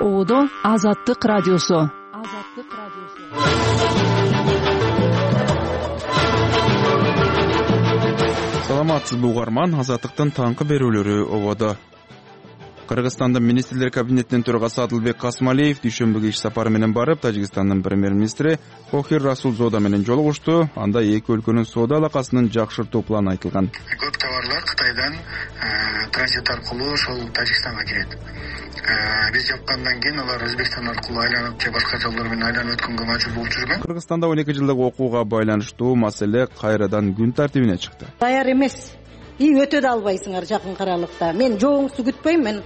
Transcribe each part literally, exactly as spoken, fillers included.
Оодо Азаттык радиосу. Азаттык радиосу. Саламатсызбы угарман, Азаттыктын таңкы берүүлөрү ободо. Кыргызстандын министрлер кабинетинин төрагасы Адылбек Касмалиев дүйшөмбүгө иш сапары менен барып, Тажикстандын премьер-министри Кохир Расулзода менен жолугушту. Анда эки өлкөнүн соода алакасын жакшыртуу планы айтылган. Көп товарлар Кытайдан транзит аркылуу ошол Тажикстанга кирет. Биз жапкандан кийин алар Өзбекстан аркылуу айланып же башка жолдор менен айланып өткөнгө мажбур болуп жүргөн. Кыргызстанда он эки жылдык окууга байланыштуу маселе кайрадан күн тартибине чыкты. Даяр эмес. И өтө да албайсыңар жакын аралыкта. Мен жооңузду күтпөйм, мен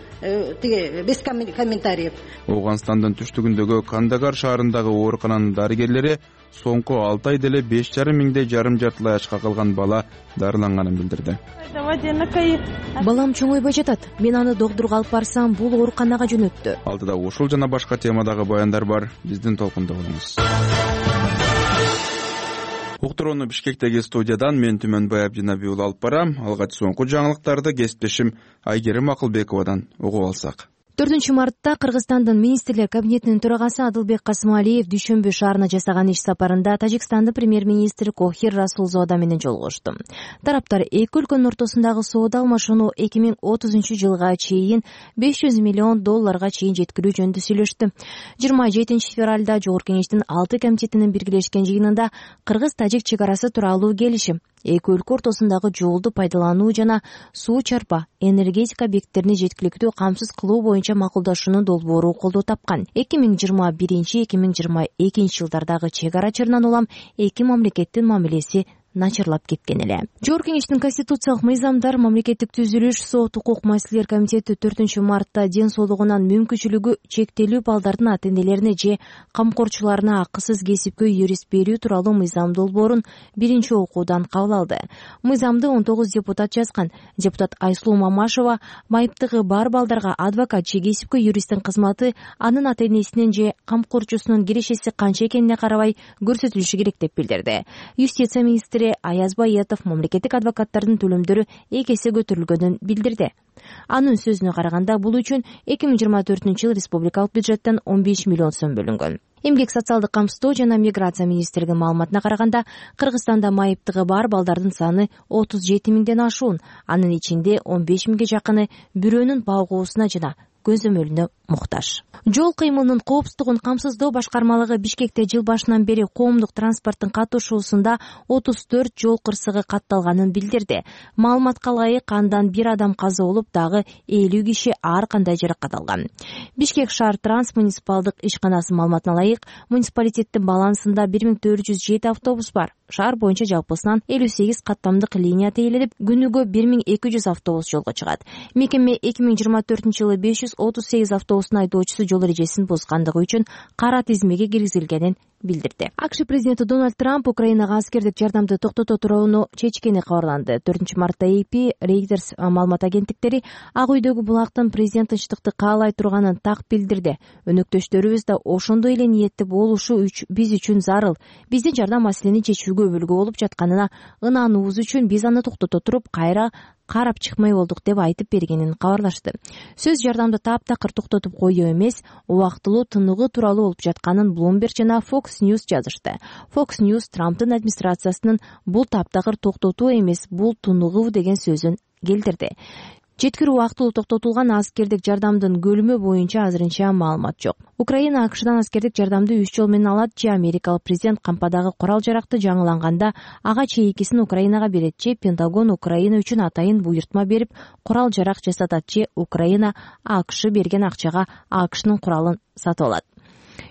тиги без комментариев. Ооганстандын түштүгүндөгү Кандагар шаарындагы оорукананын дарыгерлери соңку алты айда эле беш жарым миңдей жарым жартылай ачка калган бала дарыланганын билдирди. Балам чоңойбой жатат. Мен аны доктурга алып барсам, бул ооруканага жөнөттү. Алдыда ушул жана башка темадагы баяндар бар. Биздин толкунда болуңуз. Уктурууну Бишкектеги студиядан мен Түмөнбай Абдинабий уулу алып барам. Алгач соңку жаңылыктарды кесиптешим Айгерим Акылбековадан угуп алсак. төртүнчү мартта Кыргызстандын министрлер кабинетинин төрагасы Адылбек Касмалиев Дүйшөмбү шаарына жасаган иш сапарында Тажикстандын премьер-министри Кохир Расулзода менен жолугушту. Тараптар эки өлкөнүн ортосундагы соода алмашууну эки миң отузунчу жылга чейин беш жүз миллион долларга чейин жеткирүү жөнүндө сүйлөштү. жыйырма жетинчи февралда Жогорку Кеңештин алты комитетинин биргелешкен жыйынында Кыргыз-Тажик чек арасы тууралуу келишим, эки өлкө ортосундагы жолду пайдалануу жана суу чарпа, энергетика объекттерин жеткиликтүү камсыз кылуу боюнча макулдашуунун долбоору колдоо тапкан. эки миң жыйырма биринчи эки миң жыйырма экинчи жылдардагы чек ара чырынан улам эки мамлекеттин мамилеси начарлап кеткен эле. Жогорку Кеңештин конституциялык мыйзамдар, мамлекеттик түзүлүш, сот, укук маселелер комитети төртүнчү мартта ден соолугунан мүмкүнчүлүгү чектелүү балдардын ата-энелерине же камкорчуларына акысыз кесипкөй юрист берүү тууралуу мыйзам долбоорун биринчи окуудан кабыл алды. Мыйзамды он тогуз депутат жазган. Депутат Айсулуу Мамашева майыптыгы бар балдарга адвокат же кесипкөй юристтин кызматы анын ата-энесинин же камкорчусунун кирешеси канча экенине карабай көрсөтүлүшү керек деп билдирди. Юстиция министри Аяз Баетов мамлекеттик адвокаттардын төлөмдөрү эки эсе көтөрүлгөнүн билдирди. Анын сөзүнө караганда, бул үчүн эки миң жыйырма төртүнчү жыл республикалык бюджеттен он беш миллион сом бөлүнгөн. Эмгек социалдык камсыздоо жана миграция министрлигинин маалыматына караганда, Кыргызстанда майыптыгы бар балдардын саны отуз жети миңден ашуун. Анын ичинде он беш миңге жакыны бирөөнүн багуусуна жана көзөмөлүнө муктаж. Жол кыймылынын коопсуздугун камсыздоо башкармалыгы Бишкекте жыл башынан бери коомдук транспорттун катышуусунда отуз төрт жол кырсыгы катталганын билдирди. Маалыматка ылайык, андан бир адам каза болуп, дагы элүү киши ар кандай жаракат алган. Бишкек шаар транс муниципалдык ишканасынын маалыматына ылайык, муниципалитеттин балансында бир миң төрт жүз жети автобус бар. Шаар боюнча жалпысынан элүү сегиз каттамдык линия тейленип, күнүгө бир миң эки жүз автобус жолго чыгат. Мекеме эки миң жыйырма төртүнчү жылы беш жүз отуз сегиз автобустун айдоочусу жол эрежесин бузгандыгы үчүн кара тизмеге киргизилгенин билдирди. АКШ президенти Дональд Трамп Украинага аскердик жардамды токтото турууну чечкени кабарланды. төртүнчү мартта эй пи, Reuters маалымат агенттиктери Ак үйдөгү булактын президент тынчтыкты каалай турганын так билдирди. Өнөктөштөрүбүз да ошондой эле ниетти болушу үч биз үчүн зарыл. Биздин жардам маселени чечүүгө өбөлгө болуп жатканына ынануубуз үчүн биз аны токтото туруп кайра карап чыкмай болдук деп айтып бергенин кабарлашты. Сөз жардамды таптакыр токтотуп коюу эмес, убактылуу тыныгуу тууралуу болуп жатканын Bloomberg жана Fox News жазышты. Fox News Трамптын администрациясынын бул таптакыр токтотуу эмес, бул тыныгуу деген сөзүн келтирди. Жеткирүү убактылуу токтотулган аскердик жардамдын көлүмү боюнча азырынча маалымат жок. Украина АКШдан аскердик жардамды үч жол менен алат же америкалык президент кампадагы курал-жаракты жаңыланганда ага чейинкисин Украинага берет же Пентагон Украина үчүн атайын буйртма берип курал-жарак жасатат же Украина АКШ берген акчага АКШнын куралын сатып алат.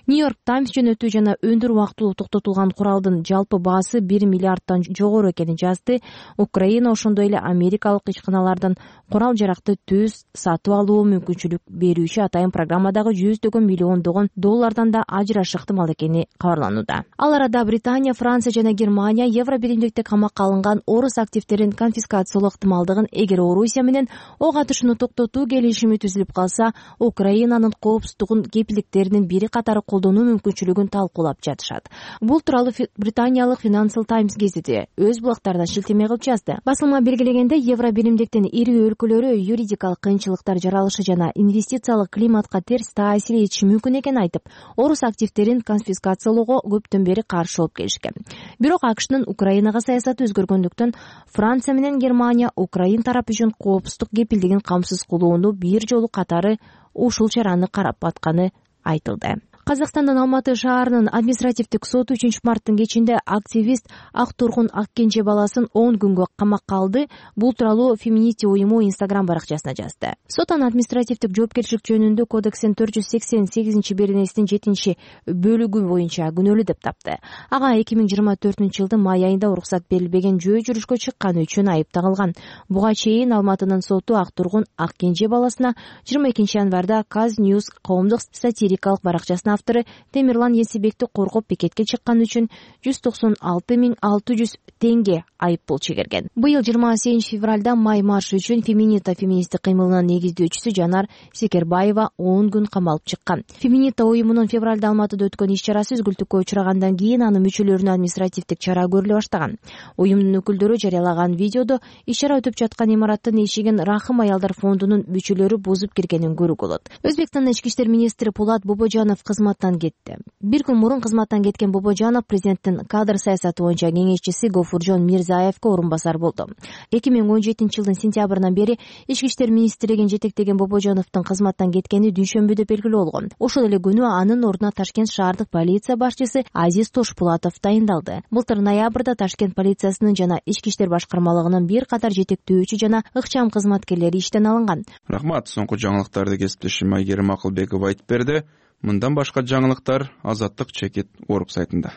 Нью-Йорк Таймс жөнөтүү жана өндүр убактылуу токтотулган куралдын жалпы баасы бир миллиардтан жогору экенин жазды. Украина ошондой эле америкалык ишканалардан курал-жаракты түз сатып алуу мүмкүнчүлүк берүүчү атайын программадагы жүздөгөн миллиондогон доллардан да ажыраш ыктымал экени кабарланууда. Ал арада Британия, Франция жана Германия Евро биримдикте камакка алынган орус активдерин конфискациялоо ыктымалдыгын, эгер Орусия менен ок атышууну токтотуу келишими түзүлүп калса, Украинанын коопсуздугун кепилдиктеринин бири катары колдонуу мүмкүнчүлүгүн талкуулап жатышат. Бул тууралуу британиялык Financial Times гезити өз блогдарынан шилтеме кылып жазды. Басылма белгилегенде, Евро биримдиктин ири өлкөлөрү юридикалык кыйынчылыктар жаралышы жана инвестициялык климатка терс таасир этиши мүмкүн экенин айтып, орус активдерин конфискациялоого көптөн бери каршы болуп келишкен. Бирок АКШнын Украинага саясаты өзгөргөндүктөн Франция менен Германия Украин тарапы үчүн коопсуздук кепилдигин камсыз кылууну бир жолу катары ушул чараны карап атканы айтылды. Казакстандын Алматы шаарынын административдик соту үчүнчү марттын кечинде активист Ак Тургун Аккенже баласын он күнгө камакка алды. Бул тууралуу Феминити уюму Инстаграм баракчасына жазды. Сот аны административдик жоопкерчилик жөнүндө кодекстин төрт жүз сексен сегизинчи беренесинин жетинчи бөлүгү боюнча күнөөлүү деп тапты. Ага эки миң жыйырма төртүнчү жылдын май айында уруксат берилбеген жөө жүрүшкө чыкканы үчүн айып тагылган. Буга чейин Алматынын соту Ак Тургун Аккенже баласына жыйырма экинчи январда Каз Ньюс коомдук сатирикалык баракчасынын автору Темирлан Есибекти коргоп пикетке чыкканы үчүн жүз токсон алты миң алты жүз теңге айып пул чегерген. Быйыл жыйырма сегизинчи февралда май маршы үчүн Феминита феминисттик кыймылынын негиздөөчүсү Жанар Секербаева он күн камалып чыккан. Феминита уюмунун февралда Алматыда өткөн иш-чарасы үзгүлтүккө учурагандан кийин анын мүчөлөрүнө административдик чара көрүлө баштаган. Уюмдун өкүлдөрү жарыялаган видеодо иш-чара өтүп жаткан имараттын эшигин Рахым аялдар фондунун мүчөлөрү бузуп киргенин көрүүгө болот. Өзбекстандын ички иштер министри Пулат Бобожанов кызматтан кетти. Бир күн мурун кызматтан кеткен Бобожанов президенттин кадр саясаты боюнча кеңешчиси Гофуржон Мирзаевке орун басар болду. эки миң он жетинчи жылдын сентябрынан бери ички иштер министрлигин жетектеген Бобожановдун кызматтан кеткени дүйшөмбүдө белгилүү болгон. Ошол эле күнү анын ордуна Ташкент шаардык полиция башчысы Азиз Тошпулатов дайындалды. Былтыр ноябрда Ташкент полициясынын жана ички иштер башкармалыгынын бир катар жетектөөчү жана ыкчам кызматкерлери иштен алынган. Рахмат. Соңку жаңылыктарды кесиптешим Айгерим Акылбеков айтып берди. Мындан башка жаңылыктар Азаттык чекит орг сайтында.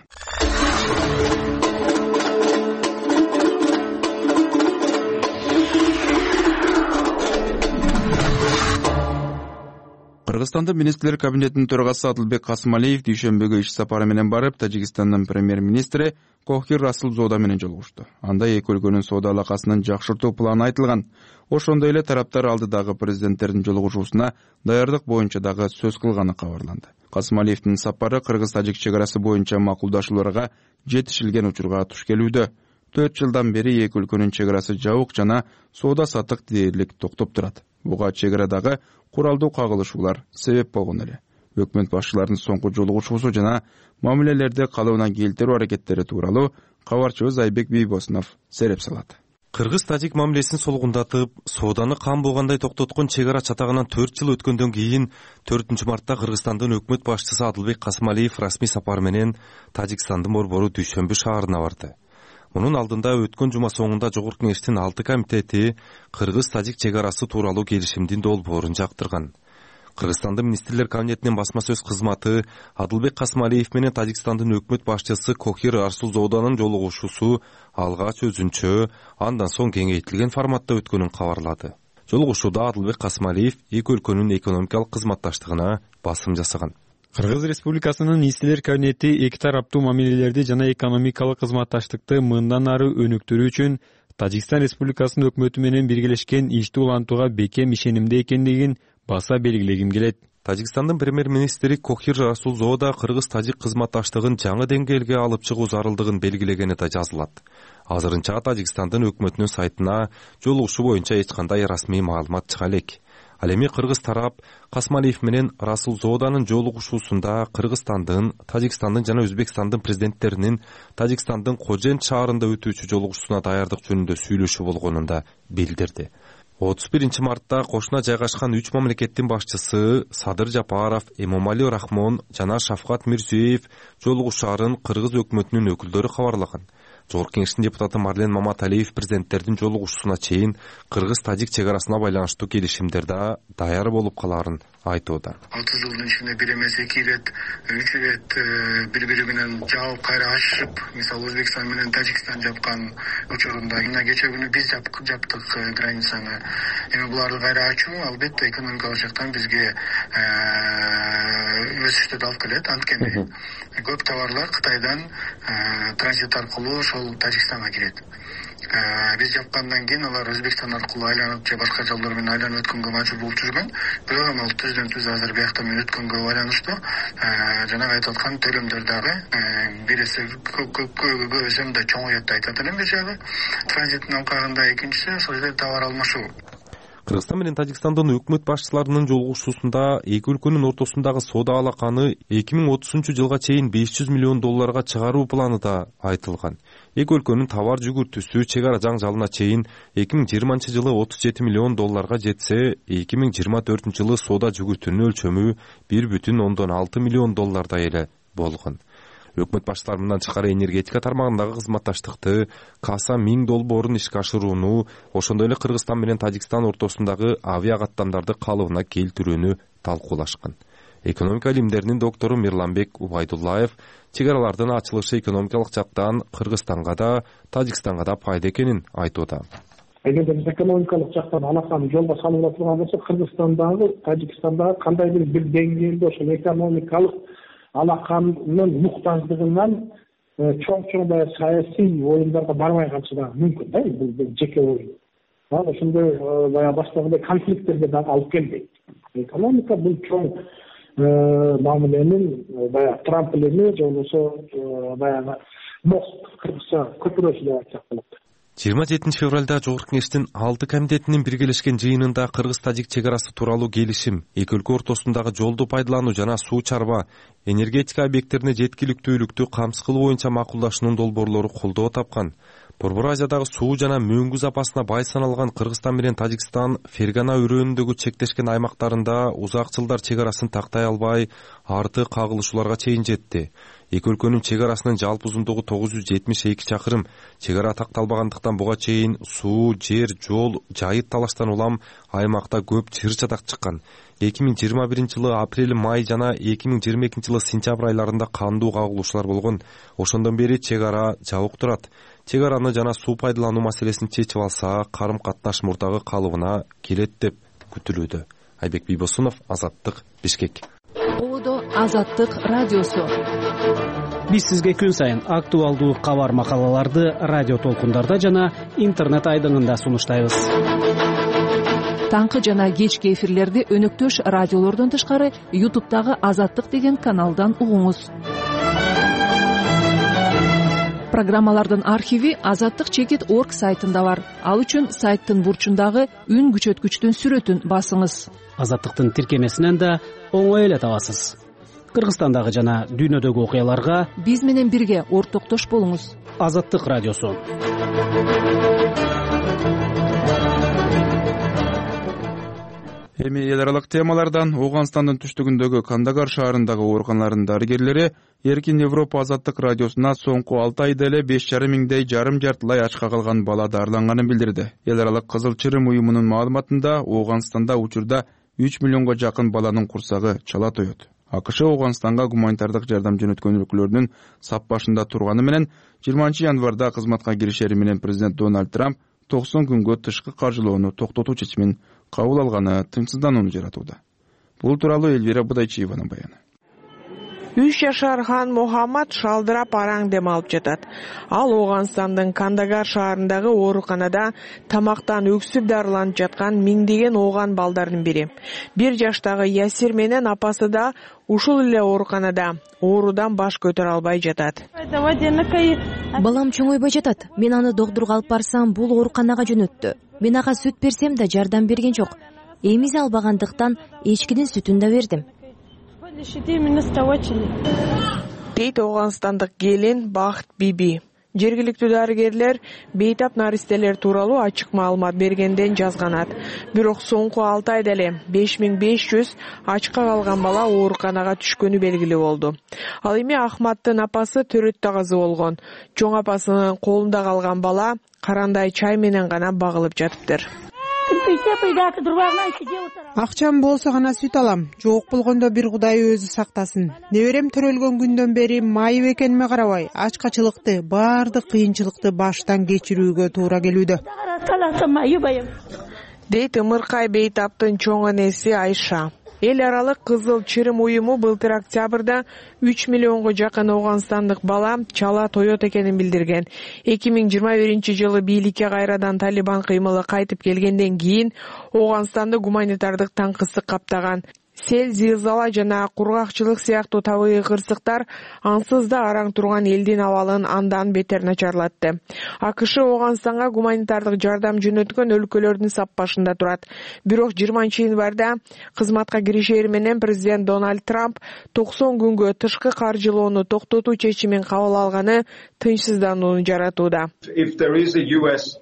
Кыргызстандын министрлер кабинетинин төрагасы Адылбек Касымалиев дүйшөмбүгө иш сапары менен барып, Тажикстандын премьер-министри Кохир Расулзода менен жолугушту. Анда эки өлкөнүн соода алакасын жакшыртуу планы айтылган. Ошондой эле тараптар алдыдагы президенттердин жолугушуусуна даярдык боюнча дагы сөз кылганы кабарланды. Касымалиевдин сапары кыргыз-тажик чек арасы боюнча макулдашууларга жетишилген учурга туш келүүдө. төрт жылдан бери эки өлкөнүн чек арасы жабык жана соода саттык дээрлик токтоп турат. Буга чек арадагы куралдуу кагылышуулар себеп болгон эле. Өкмөт башчыларынын соңку жолугушуусу жана мамилелерди калыбына келтирүү аракеттери тууралуу кабарчыбыз Айбек Бийбосунов сереп салат. Кыргыз-тажик мамилесин солгундатып, сооданы кан болгондой токтоткон чек ара чатагынан төрт жыл өткөндөн кийин төртүнчү мартта Кыргызстандын өкмөт башчысы Адылбек Касымалиев расмий сапар менен Тажикстандын борбору Дүйшөмбү шаарына барды. Мунун алдында өткөн жума соңунда Жогорку кеңештин алты комитети Кыргыз-тажик чек арасы тууралуу келишимдин долбоорун жактырган. Кыргызстандын министрлер кабинетинин басма сөз кызматы Адылбек Касымалиев менен Тажикстандын өкмөт башчысы Кохир Расулзоданын жолугушуусу алгач өзүнчө, андан соң кеңейтилген форматта өткөнүн кабарлады. Жолугушууда Адылбек Касымалиев эки өлкөнүн экономикалык кызматташтыгына басым жасаган. Кыргыз Республикасынын министрлер кабинети эки тараптуу мамилелерди жана экономикалык кызматташтыкты мындан ары өнүктүрүү үчүн Тажикстан Республикасынын өкмөтү менен биргелешкен ишти улантууга бекем ишенимде экендигин баса белгилегим келет. Тажикстандын премьер-министри Кохир Расулзода кыргыз-тажик кызматташтыгын жаңы деңгээлге алып чыгуу зарылдыгын белгилегени да жазылат. Азырынча Тажикстандын өкмөтүнүн сайтына жолугушуу боюнча эч кандай расмий маалымат чыга элек. Ал эми кыргыз тарап Касымалиев менен Расулзоданын жолугушуусунда Кыргызстандын, Тажикстандын жана Өзбекстандын президенттеринин Тажикстандын Кожент шаарында өтүүчү жолугушуусуна даярдык жөнүндө сүйлөшүү болгонун да билдирди. отуз биринчи мартта кошуна жайгашкан үч мамлекеттин башчысы Садыр Жапаров, Эмомали Рахмон жана Шафкат Мирзиёев жолугушаарын кыргыз өкмөтүнүн өкүлдөрү кабарлаган. Жогорку кеңештин депутаты Марлен Маматалиев президенттердин жолугушуусуна чейин кыргыз-тажик чек арасына байланыштуу келишимдер да даяр болуп калаарын айтууда. алты жылдын ичинде бир эмес эки ирет, үч ирет бири бири менен жабып кайра ачышып, мисалы Өзбекстан менен Тажикстан жапкан учурунда мына кече күнү биз жаптык границаны. Эми буларды кайра ачуу албетте экономикалык жактан бизге өсүштү алып келет. Анткени көп товарлар Кытайдан транзит аркылуу ошол Тажикстанга кирет. биз жапкандан кийин алар Өзбекстан аркылуу айланып же башка жолдор менен айланып өткөнгө мажбур болуп жүргөн. Бирок эми ал түздөн түз азыр биякта менен өткөнгө байланыштуу жанагы айтып аткан төлөмдөр дагы бир эсе көп эсе мындай чоңоет деп айтат элем бир жагы. Транзиттин алкагында экинчиси ошол жерде товар алмашуу. Кыргызстан менен Тажикстандын өкмөт башчыларынын жолугушуусунда эки өлкөнүн ортосундагы соода алаканы эки миң отузунчу жылга чейин беш жүз миллион долларга чыгаруу планы да айтылган. Эки өлкөнүн товар жүгүртүүсү чек ара жаңжалына чейин эки миң жыйырманчы жылы отуз жети миллион долларга жетсе, эки миң жыйырма төртүнчү жылы соода жүгүртүүнүн өлчөмү бир бүтүн ондон алты миллион доллардай эле болгон. Өкмөт башчылары мындан тышкары энергетика тармагындагы кызматташтыкты Каса миң долбоорун ишке ашырууну, ошондой эле Кыргызстан менен Тажикстан ортосундагы авиа каттамдарды калыбына келтирүүнү талкуулашкан. Экономика илимдеринин доктору Мирланбек Убайдуллаев чек аралардын ачылышы экономикалык жактан Кыргызстанга да, Тажикстанга да пайда экенин айтууда. Эгерде биз экономикалык жактан алаканы жолго салып отурган болсок, Кыргызстандагы, Тажикстандагы кандайдыр бир деңгээлде ошол экономикалык алаканын муктаждыгынан чоң-чоң баягы саясий оюндарга барбай калышы да мүмкүн да, бул жеке оюн. Ал ошондой баягы баштагындай конфликттерге дагы алып келбейт. Экономика бул чоң мамиленин баягы трамплини же болбосо баягы мост, кыргызча көпүрөсү деп айтсак болот. жыйырма жетинчи февралда Жогорку Кеңештин алты комитетинин биргелешкен жыйынында Кыргыз-Тажик чек арасы тууралуу келишим, эки өлкө ортосундагы жолду пайдалануу жана суу чарба, энергетика объекттерине жеткиликтүүлүктү камсыз кылуу боюнча макулдашуунун долбоорлору колдоо тапкан. Борбор Азиядагы суу жана мөңгү запасына бай саналган Кыргызстан менен Тажикстан Фергана өрөөнүндөгү чектешкен аймактарында узак жылдар чек арасын тактай албай, арты кагылышууларга чейин жетти. Эки өлкөнүн чек арасынын жалпы узундугу тогуз жүз жетимиш эки чакырым. Чек ара такталбагандыктан буга чейин суу, жер, жол, жайыт талаштан улам аймакта көп чыр-чатак чыккан. эки миң жыйырма биринчи жылы апрель, май жана эки миң жыйырма экинчи жылы сентябрь айларында кандуу кагылышуулар болгон. Ошондон бери чек ара жабык турат. Чек араны жана суу пайдалануу маселесин чечип алса, карым-катнаш мурдагы калыбына келет деп күтүлүүдө. Айбек Бийбосунов, Азаттык, Бишкек. Одо Азаттык радиосу. Биз сизге күн сайын актуалдуу кабар макалаларды радио толкундарда жана интернет айдыңында сунуштайбыз. Таңкы жана кечки эфирлерди өнөктөш радиолордон тышкары ютубтагы Азаттык деген каналдан угуңуз. Программалардын архиви азаттык чекит точка орг сайтында бар. Ал үчүн сайттын бурчундагы үн күчөткүчтүн сүрөтүн басыңыз. Азаттыктын тиркемесинен да оңой эле табасыз. Кыргызстандагы жана дүйнөдөгү окуяларга биз менен бирге ортоктош болуңуз. Азаттык радиосу. Эми эл аралык темалардан Ооганстандын түштүгүндөгү Кандагар шаарындагы ооруканалардын дарыгерлери Эркин Европа Азаттык радиосуна соңку алты айда эле беш жарым миңдей жарым жартылай ачка калган бала дарыланганын билдирди. Эл аралык Кызыл Чырым уюмунун маалыматында Ооганстанда учурда үч миллионго жакын баланын курсагы чала тоет. АКШ Ооганстанга гуманитардык жардам жөнөткөн өлкөлөрдүн сап башында турганы менен жыйырманчы январда кызматка киришери менен президент Дональд Трамп токсон күнгө тышкы каржылоону токтотуу чечимин кабыл алганы тынчсызданууну жаратууда. Бул тууралуу Элвира Будайчиеванын баяны. үч жашар Хан Мухаммад шалдырап араң дем алып жатат. Ал Ооганстандын Кандагар шаарындагы ооруканада тамактан өксүп дарыланып жаткан миңдеген ооган балдардын бири. Бир жаштагы Ясир менен апасы да ушул эле ооруканада оорудан баш көтөрө албай жатат. Балам чоңойбой жатат. Мен аны доктурга алып барсам, бул ооруканага жөнөттү. Мен ага сүт берсем да жардам берген жок. Эмиз албагандыктан эчкинин сүтүн да бердим. Дейт Ооганстандык келин Бакыт Биби. Жергиликтүү дарыгерлер бейтап наристелер тууралуу ачык маалымат бергенден жазганат. Бирок соңку алты айда эле беш миң беш жүз ачка калган бала ооруканага түшкөнү белгилүү болду. Ал эми Ахматтын апасы төрөттө казы болгон. Чоң апасынын колунда калган бала карандай чай менен гана багылып жатыптыр. Акчам болсо гана сүт алам. Жок болгондо бир Кудай өзү сактасын. Неберем төрөлгөн күндөн бери майып экениме карабай, ачкачылыкты, баардык кыйынчылыкты баштан кечирүүгө туура келүүдө. Дейт Ымыркай бейтаптын чоң энеси Айша. Эл аралык Кызыл Чырым уюму былтыр октябрда үч миллионго жакын ооганстандык бала чала тоет экенин билдирген. эки миң жыйырма биринчи жылы бийликке кайрадан Талибан кыймылы кайтып келгенден кийин Ооганстанды гуманитардык таңкысык каптаган. Сел, зилзала жана кургакчылык сыяктуу табигый кырсыктар ансыз да араң турган элдин абалын андан бетер начарлатты. АКШ Ооганстанга гуманитардык жардам жөнөткөн өлкөлөрдүн саппашында турат. Бирок жыйырманчы январда кызматка киришери менен президент Дональд Трамп токсон күнгө тышкы каржылоону токтотуу чечимин кабыл алганы тынчсызданууну жаратууда.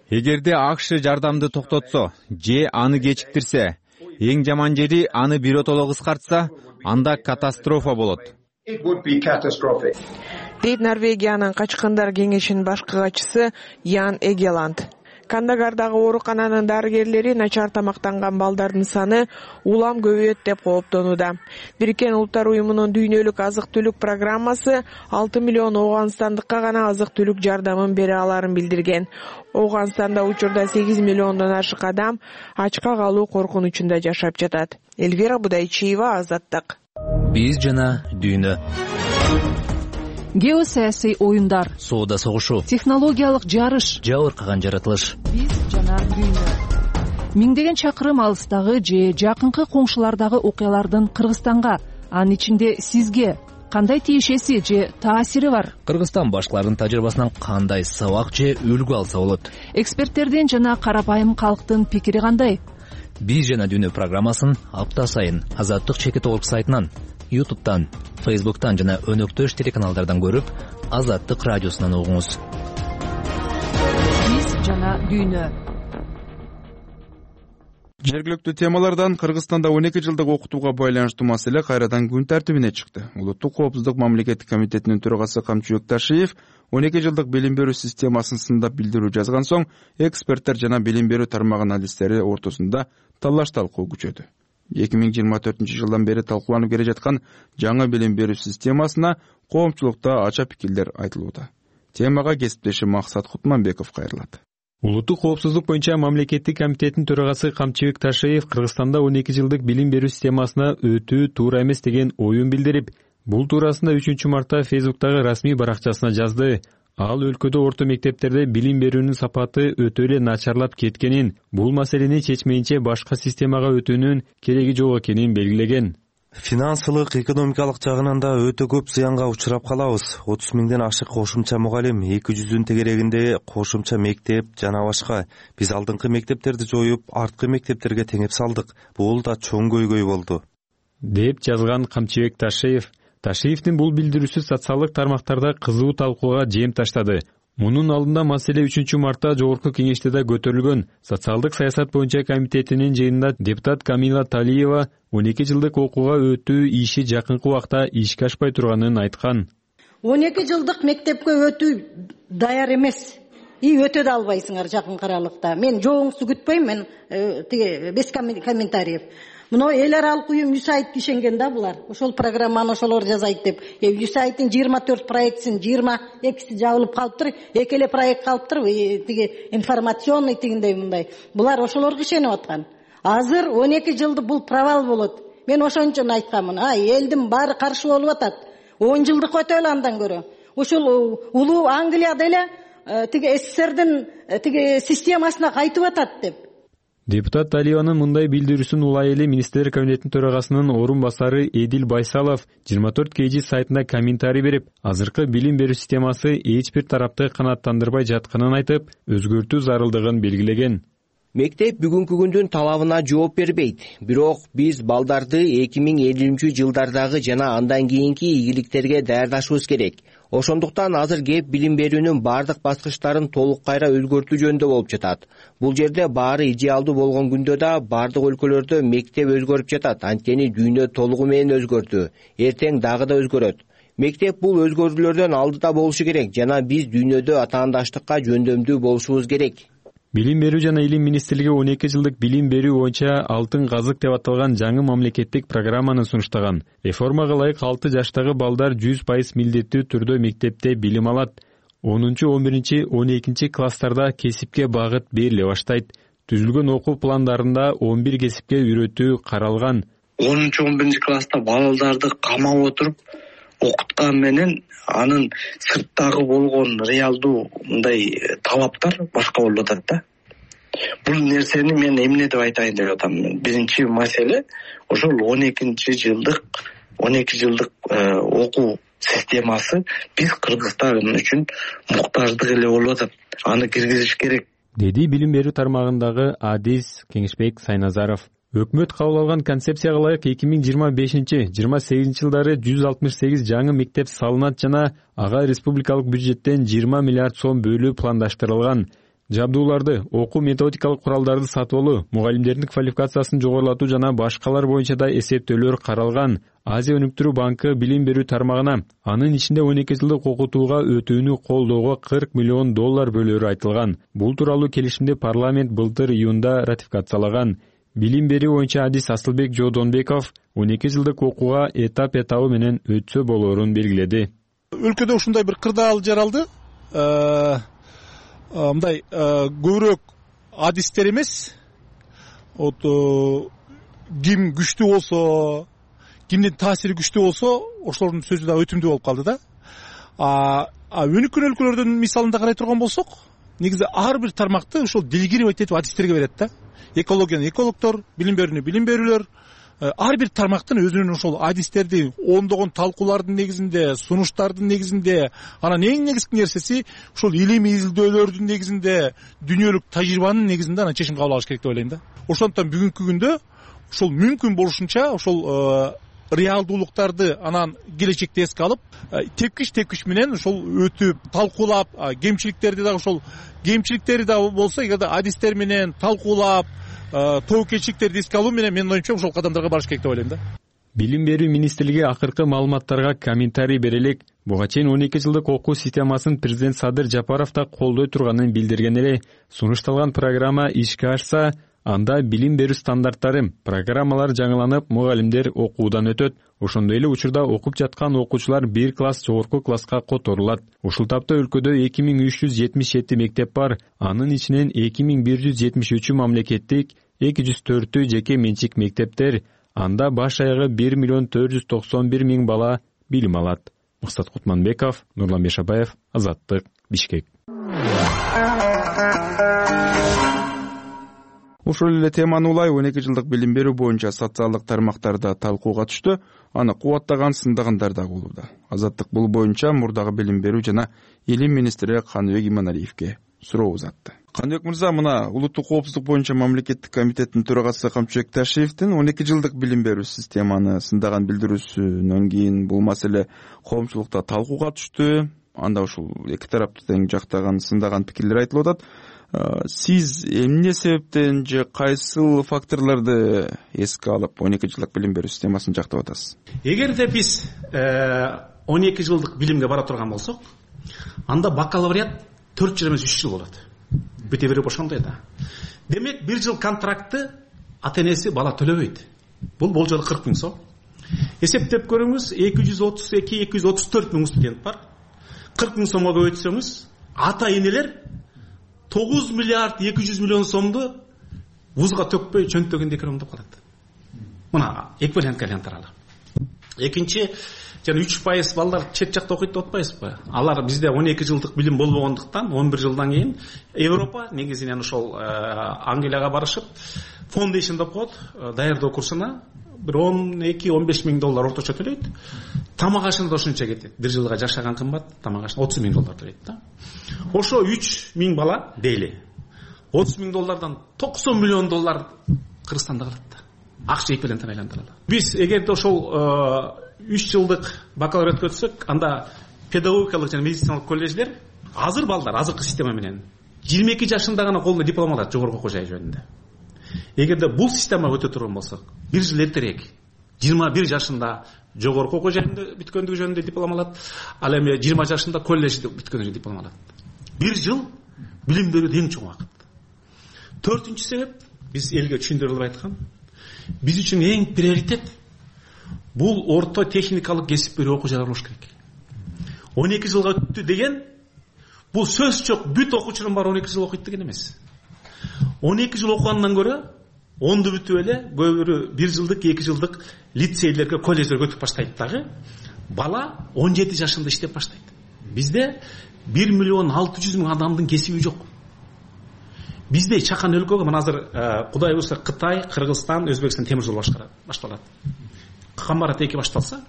Эгерде АКШ жардамды токтотсо же аны кечиктирсе, эң жаман жери аны биротоло кыскартса, анда катастрофа болот. Дейт Норвегиянын Качкындар кеңешинин башкы катчысы Ян Эгеланд. Кандагардагы оорукананын дарыгерлери начар тамактанган балдардын саны улам көбөйөт деп кооптонууда. Бириккен Улуттар уюмунун дүйнөлүк азык-түлүк программасы алты миллион ооганстандыкка гана азык-түлүк жардамын бере аларын билдирген. Ооганстанда учурда сегиз миллиондон ашык адам ачка калуу коркунучунда жашап жатат. Элвира Будайчиева, Азаттык. Биз жана дүйнө. Геосаясий оюндар, соода согушу, технологиялык жарыш, жабыркаган жаратылыш. Биз жана дүйнө. Миңдеген чакырым алыстагы же жакынкы коңшулардагы окуялардын Кыргызстанга, анын ичинде сизге кандай тиешеси же таасири бар? Кыргызстан башкаларынын тажрыйбасынан кандай сабак же үлгү алса болот? Эксперттердин жана карапайым калктын пикири кандай? Биз жана дүйнө программасын апта сайын Азаттык чекит орг сайтынан, ютубтан, фейсбуктан жана өнөктөш телеканалдардан көрүп, Азаттык радиосунан угуңуз. Биз жана дүйнө. Жергиликтүү темалардан Кыргызстанда он эки жылдык окутууга байланыштуу маселе кайрадан күн тартибине чыкты. Улуттук коопсуздук мамлекеттик комитетинин төрагасы Камчыбек Ташиев он эки жылдык билим берүү системасын сындап билдирүү жазган соң, эксперттер жана билим берүү тармагынын адистери ортосунда талаш-талкуу күчөдү. эки миң жыйырма төртүнчү жылдан бери талкууланып келе жаткан жаңы билим берүү системасына коомчулукта ача пикирлер айтылууда. Темага кесиптешим Максат Кутманбеков кайрылат. Улуттук коопсуздук боюнча мамлекеттик комитеттин төрагасы Камчыбек Ташиев Кыргызстанда он эки жылдык билим берүү системасына өтүү туура эмес деген оюн билдирип, бул туурасында үчүнчү мартта Фейсбуктагы расмий баракчасына жазды. Ал өлкөдө орто мектептерде билим берүүнүн сапаты өтө эле начарлап кеткенин, бул маселени чечмейинче башка системага өтүүнүн кереги жок экенин белгилеген. Финансылык, экономикалык жагынан да өтө көп зыянга учурап калабыз. отуз миңден ашык кошумча мугалим, эки жүздүн тегерегинде кошумча мектеп жана башка. Биз алдыңкы мектептерди жоюп, арткы мектептерге теңеп салдык. Бул да чоң көйгөй болду, деп жазган Камчыбек Ташиев. Ташиевдин бул билдирүүсү социалдык тармактарда кызуу талкууга жем таштады. Мунун алдында маселе үчүнчү мартта жогорку кеңеште да көтөрүлгөн. Социалдык саясат боюнча комитетинин жыйынында депутат Камила Талиева он эки жылдык окууга өтүү иши жакынкы убакта ишке ашпай турганын айткан. он эки жылдык мектепке өтүү даяр эмес. И өтө да албайсыңар жакынкы аралыкта. Мен жооңузду күтпөйм, мен тиги без комментариев. Мына эл аралык уюм ЮСАИД ишенген да булар. Ошол программаны ошолор жасайт деп. ЮСАИДтин жыйырма төрт проектисин жыйырма экиси жабылып калыптыр. Эки эле проект калыптыр. Тиги информационный тигиндей мындай. Булар ошолорго ишенип аткан. Азыр он эки жылды бул провал болот. Мен ошон үчүн айтканмын. Ай, элдин баары каршы болуп атат. он жылдык өтөлү андан көрө. Ошол улуу Англияда эле тиги СССРдин тиги системасына кайтып атат деп. Депутат Талиеванын мындай билдирүүсүн улай эле министрлер кабинетинин төрагасынын орун басары Эдил Байсалов жыйырма төрт кей жи сайтында комментарий берип, азыркы билим берүү системасы эч бир тарапты канааттандырбай жатканын айтып, өзгөртүү зарылдыгын белгилеген. Мектеп бүгүнкү күндүн талабына жооп бербейт. Бирок биз балдарды эки миң элүүнчү жылдардагы жана андан кийинки ийгиликтерге даярдашыбыз керек. Ошондуктан азыр кеп билим берүүнүн бардык баскычтарын толук кайра өзгөртүү жөнүндө болуп жатат. Бул жерде баары идеалдуу болгон күндө да бардык өлкөлөрдө мектеп өзгөрүп жатат. Анткени дүйнө толугу менен өзгөрдү. Эртең дагы да өзгөрөт. Мектеп бул өзгөрүүлөрдөн алдыда болушу керек жана биз дүйнөдө атаандаштыкка жөндөмдүү болушубуз керек. Билим берүү жана илим министрлиги он эки жылдык билим берүү боюнча алтын казык деп аталган жаңы мамлекеттик программаны сунуштаган. Реформага ылайык алты жаштагы балдар жүз пайыз милдеттүү түрдө мектепте билим алат. онунчу он биринчи он экинчи класстарда кесипке багыт бериле баштайт. Түзүлгөн окуу пландарында он бир кесипке үйрөтүү каралган. онунчу он биринчи класста балдарды камап отуруп окуткан менен анын сырттагы болгон реалдуу мындай талаптар башка болуп атат да. Бул нерсени мен эмне деп айтайын деп атам. Биринчи маселе ошол он экинчи жылдык он эки жылдык окуу системасы биз Кыргызстан үчүн муктаждык эле болуп атат. Аны киргизиш керек, деди билим берүү тармагындагы Адис Кеңешбек Сайназаров. Өкмөт кабыл алган концепцияга ылайык эки миң жыйырма бешинчи жыйырма сегизинчи жылдары жүз алтымыш сегиз жаңы мектеп салынат жана ага республикалык бюджеттен жыйырма миллиард сом бөлүү пландаштырылган. Жабдууларды, окуу методикалык куралдарды сатып алуу, мугалимдердин квалификациясын жогорулатуу жана башкалар боюнча да эсептөөлөр каралган. Азия өнүктүрүү банкы билим берүү тармагына анын ичинде он эки жылдык окутууга өтүүнү колдоого кырк миллион доллар бөлөөрү айтылган. Бул тууралуу келишимди парламент былтыр июнда ратификациялаган. Билим берүү боюнча Адис Асылбек Жодонбеков он эки жылдык окууга этап этабы менен өтсө болоорун белгиледи. Өлкөдө ушундай бир кырдаал жаралды. Мындай көбүрөөк адистер эмес, вот ким күчтүү болсо, кимдин таасири күчтүү болсо, ошолордун сөзү да өтүмдүү болуп калды да. А өнүккөн өлкөлөрдүн мисалында карай турган болсок, негизи ар бир тармакты ошол делегировать этип адистерге берет да. Экологияны экологдор, билим берүүнү билим берүүлөр, ар бир тармактын өзүнүн ошол адистерди ондогон талкуулардын негизинде, сунуштардын негизинде, анан эң негизги нерсеси ошол илимий изилдөөлөрдүн негизинде, дүйнөлүк тажрыйбанын негизинде анан чечим кабыл алыш керек деп ойлойм да. Ошондуктан бүгүнкү күндө ошол мүмкүн болушунча ошол реалдуулуктарды анан келечекте эске алып, тепкич тепкич менен ошол өтүп, талкуулап, кемчиликтерди дагы ошол кемчиликтери да болсо, эгерде адистер менен талкуулап, тоокелчиликтерди эске алуу менен менин оюмча ошол кадамдарга барыш керек деп ойлойм да. Билим берүү министрлиги акыркы маалыматтарга комментарий бере элек. Буга чейин он эки жылдык окуу системасын президент Садыр Жапаров да колдой турганын билдирген эле. Сунушталган программа ишке ашса, анда билим берүү стандарттары, программалар жаңыланып, мугалимдер окуудан өтөт. Ошондой эле учурда окуп жаткан окуучулар бир класс жогорку класска которулат. Ушул тапта өлкөдө эки миң үч жүз жетимиш жети мектеп бар. Анын ичинен эки миң бир жүз жетимиш үчү мамлекеттик, эки жүз төртү жеке менчик мектептер. Анда баш аягы бир миллион төрт жүз токсон бир миң бала билим алат. Мыксат Кутманбеков, Нурлан Бешабаев, Азаттык, Бишкек. Ушул эле теманы улай он эки жылдык билим берүү боюнча социалдык тармактарда талкууга түштү. Аны кубаттаган, сындагандар да болууда. Азаттык бул боюнча мурдагы билим берүү жана илим министри Каныбек Иманалиевге суроо узатты. Каныбек мырза, мына улуттук коопсуздук боюнча мамлекеттик комитеттин төрагасы Камчыбек Ташиевдин он эки жылдык билим берүү системаны сындаган билдирүүсүнөн кийин бул маселе коомчулукта талкууга түштү. Анда ушул эки тарапты тең жактаган, сындаган пикирлер айтылып атат. Сиз эмне себептен же кайсыл факторлорду эске алып он эки жылдык билим берүү системасын жактап атасыз? Эгерде биз он эки жылдык билимге бара турган болсок, анда бакалавриат төрт жыл эмес үч жыл болот. Бүте берип ошондой да. Демек бир жыл контрактты ата энеси бала төлөбөйт. Бул болжол кырк миң сом. Эсептеп көрүңүз, эки жүз отуз эки эки жүз отуз төрт миң студент бар. кырк миң сомго көбөйтсөңүз, ата энелер тогуз миллиард эки жүз миллион сомду вузга төкпөй чөнтөгөндө экономдоп калат. Мына эквивалент аралы. Экинчи, жана үч пайыз балдар чет жакта окуйт деп атпайсызбы? Алар бизде он эки жылдык билим болбогондуктан он бир жылдан кийин Европа негизинен ошол Англияга барышып, foundation деп коет, даярдоо курсуна бир он эки он беш миң доллар орточо төлөйт. Тамак ашына да ошончо кетет. Бир жылга жашаган кымбат, тамак ашына отуз миң доллар төлөйт да. Ошо үч миң бала дейли. отуз миң доллардан токсон миллион доллар Кыргызстанда калат да. Акча эквивалентин айландыралы. Биз эгерде ошол үч жылдык бакалавриатка өтсөк, анда педагогикалык жана медициналык колледждер азыр балдар азыркы система менен жыйырма эки жашында гана колуна диплом алат жогорку окуу жай жөнүндө. Эгерде бул система өтө турган болсок, бир жыл эртерээк жыйырма бир жашында жогорку окуу жайында бүткөндүгү жөнүндө диплом алат, ал эми жыйырма жашында колледжде бүткөндүгү диплом алат. Бир жыл билим берүү эң чоң убакыт. Төртүнчү себеп, биз элге түшүндүрүп айткан, биз үчүн эң приоритет бул орто техникалык кесип берүү окуу жайлар болуш керек. он эки жылга өттү деген бул сөз жок, бүт окуучунун баары он эки жыл окуйт деген эмес. он эки жыл окугандан көрө онду бүтүп эле көбү бирөө бир жылдык эки жылдык лицейлерге колледждерге өтүп баштайт дагы. Бала он жети жашында иштеп баштайт. Бизде бир миллион алты жүз миң адамдын кесиби жок. Бизде чакан өлкөгө мына азыр Кудай буюрса Кытай, Кыргызстан, Өзбекстан темир жол башталат. Камбарат эки башталса,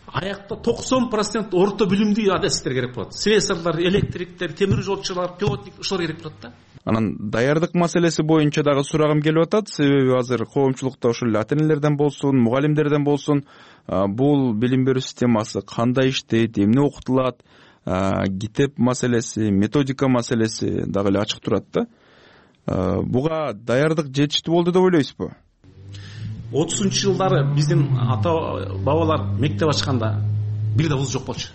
аякта токсон процент орто билимдүү адистер керек болот. Слесарлар, электриктер, темир жолчулар, пилотник ушулар керек болот да. Анан даярдык маселеси боюнча дагы сурагым келип атат. Себеби азыр коомчулукта ошол ата-энелерден болсун, мугалимдерден болсун, бул билим берүү системасы кандай иштейт, эмне окутулат, китеп маселеси, методика маселеси дагы эле ачык турат да. Буга даярдык жетиштүү болду деп ойлойсузбу? отузунчу жылдары биздин ата бабалар мектеп ачканда бир да вуз жок болчу.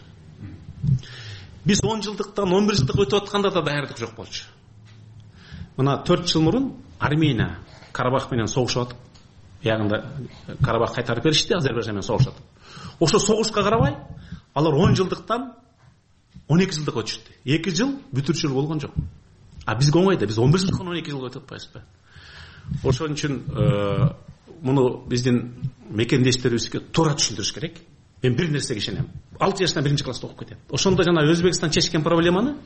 Биз он жылдыктан он бир жылдык өтүп атканда да даярдык жок болчу. Мына төрт жыл мурун Армения Карабах менен согушуп атып, ягында Карабах кайтарып беришти, Азербайжан менен согушуп атып. Ошо согушка карабай, алар он жылдыктан он эки жылдыкка өтүштү. эки жыл бүтүрчүлүк болгон жок. А бизге оңой да, биз он бир жылдыктан он эки жылга өтүп атпайбызбы? Ошон үчүн муну биздин мекендештерибизге туура түшүндүрүш керек. Мен бир нерсеге ишенем. алты жаштан биринчи класста окуп кетет. Ошондо жана Өзбекстан чечкен проблеманы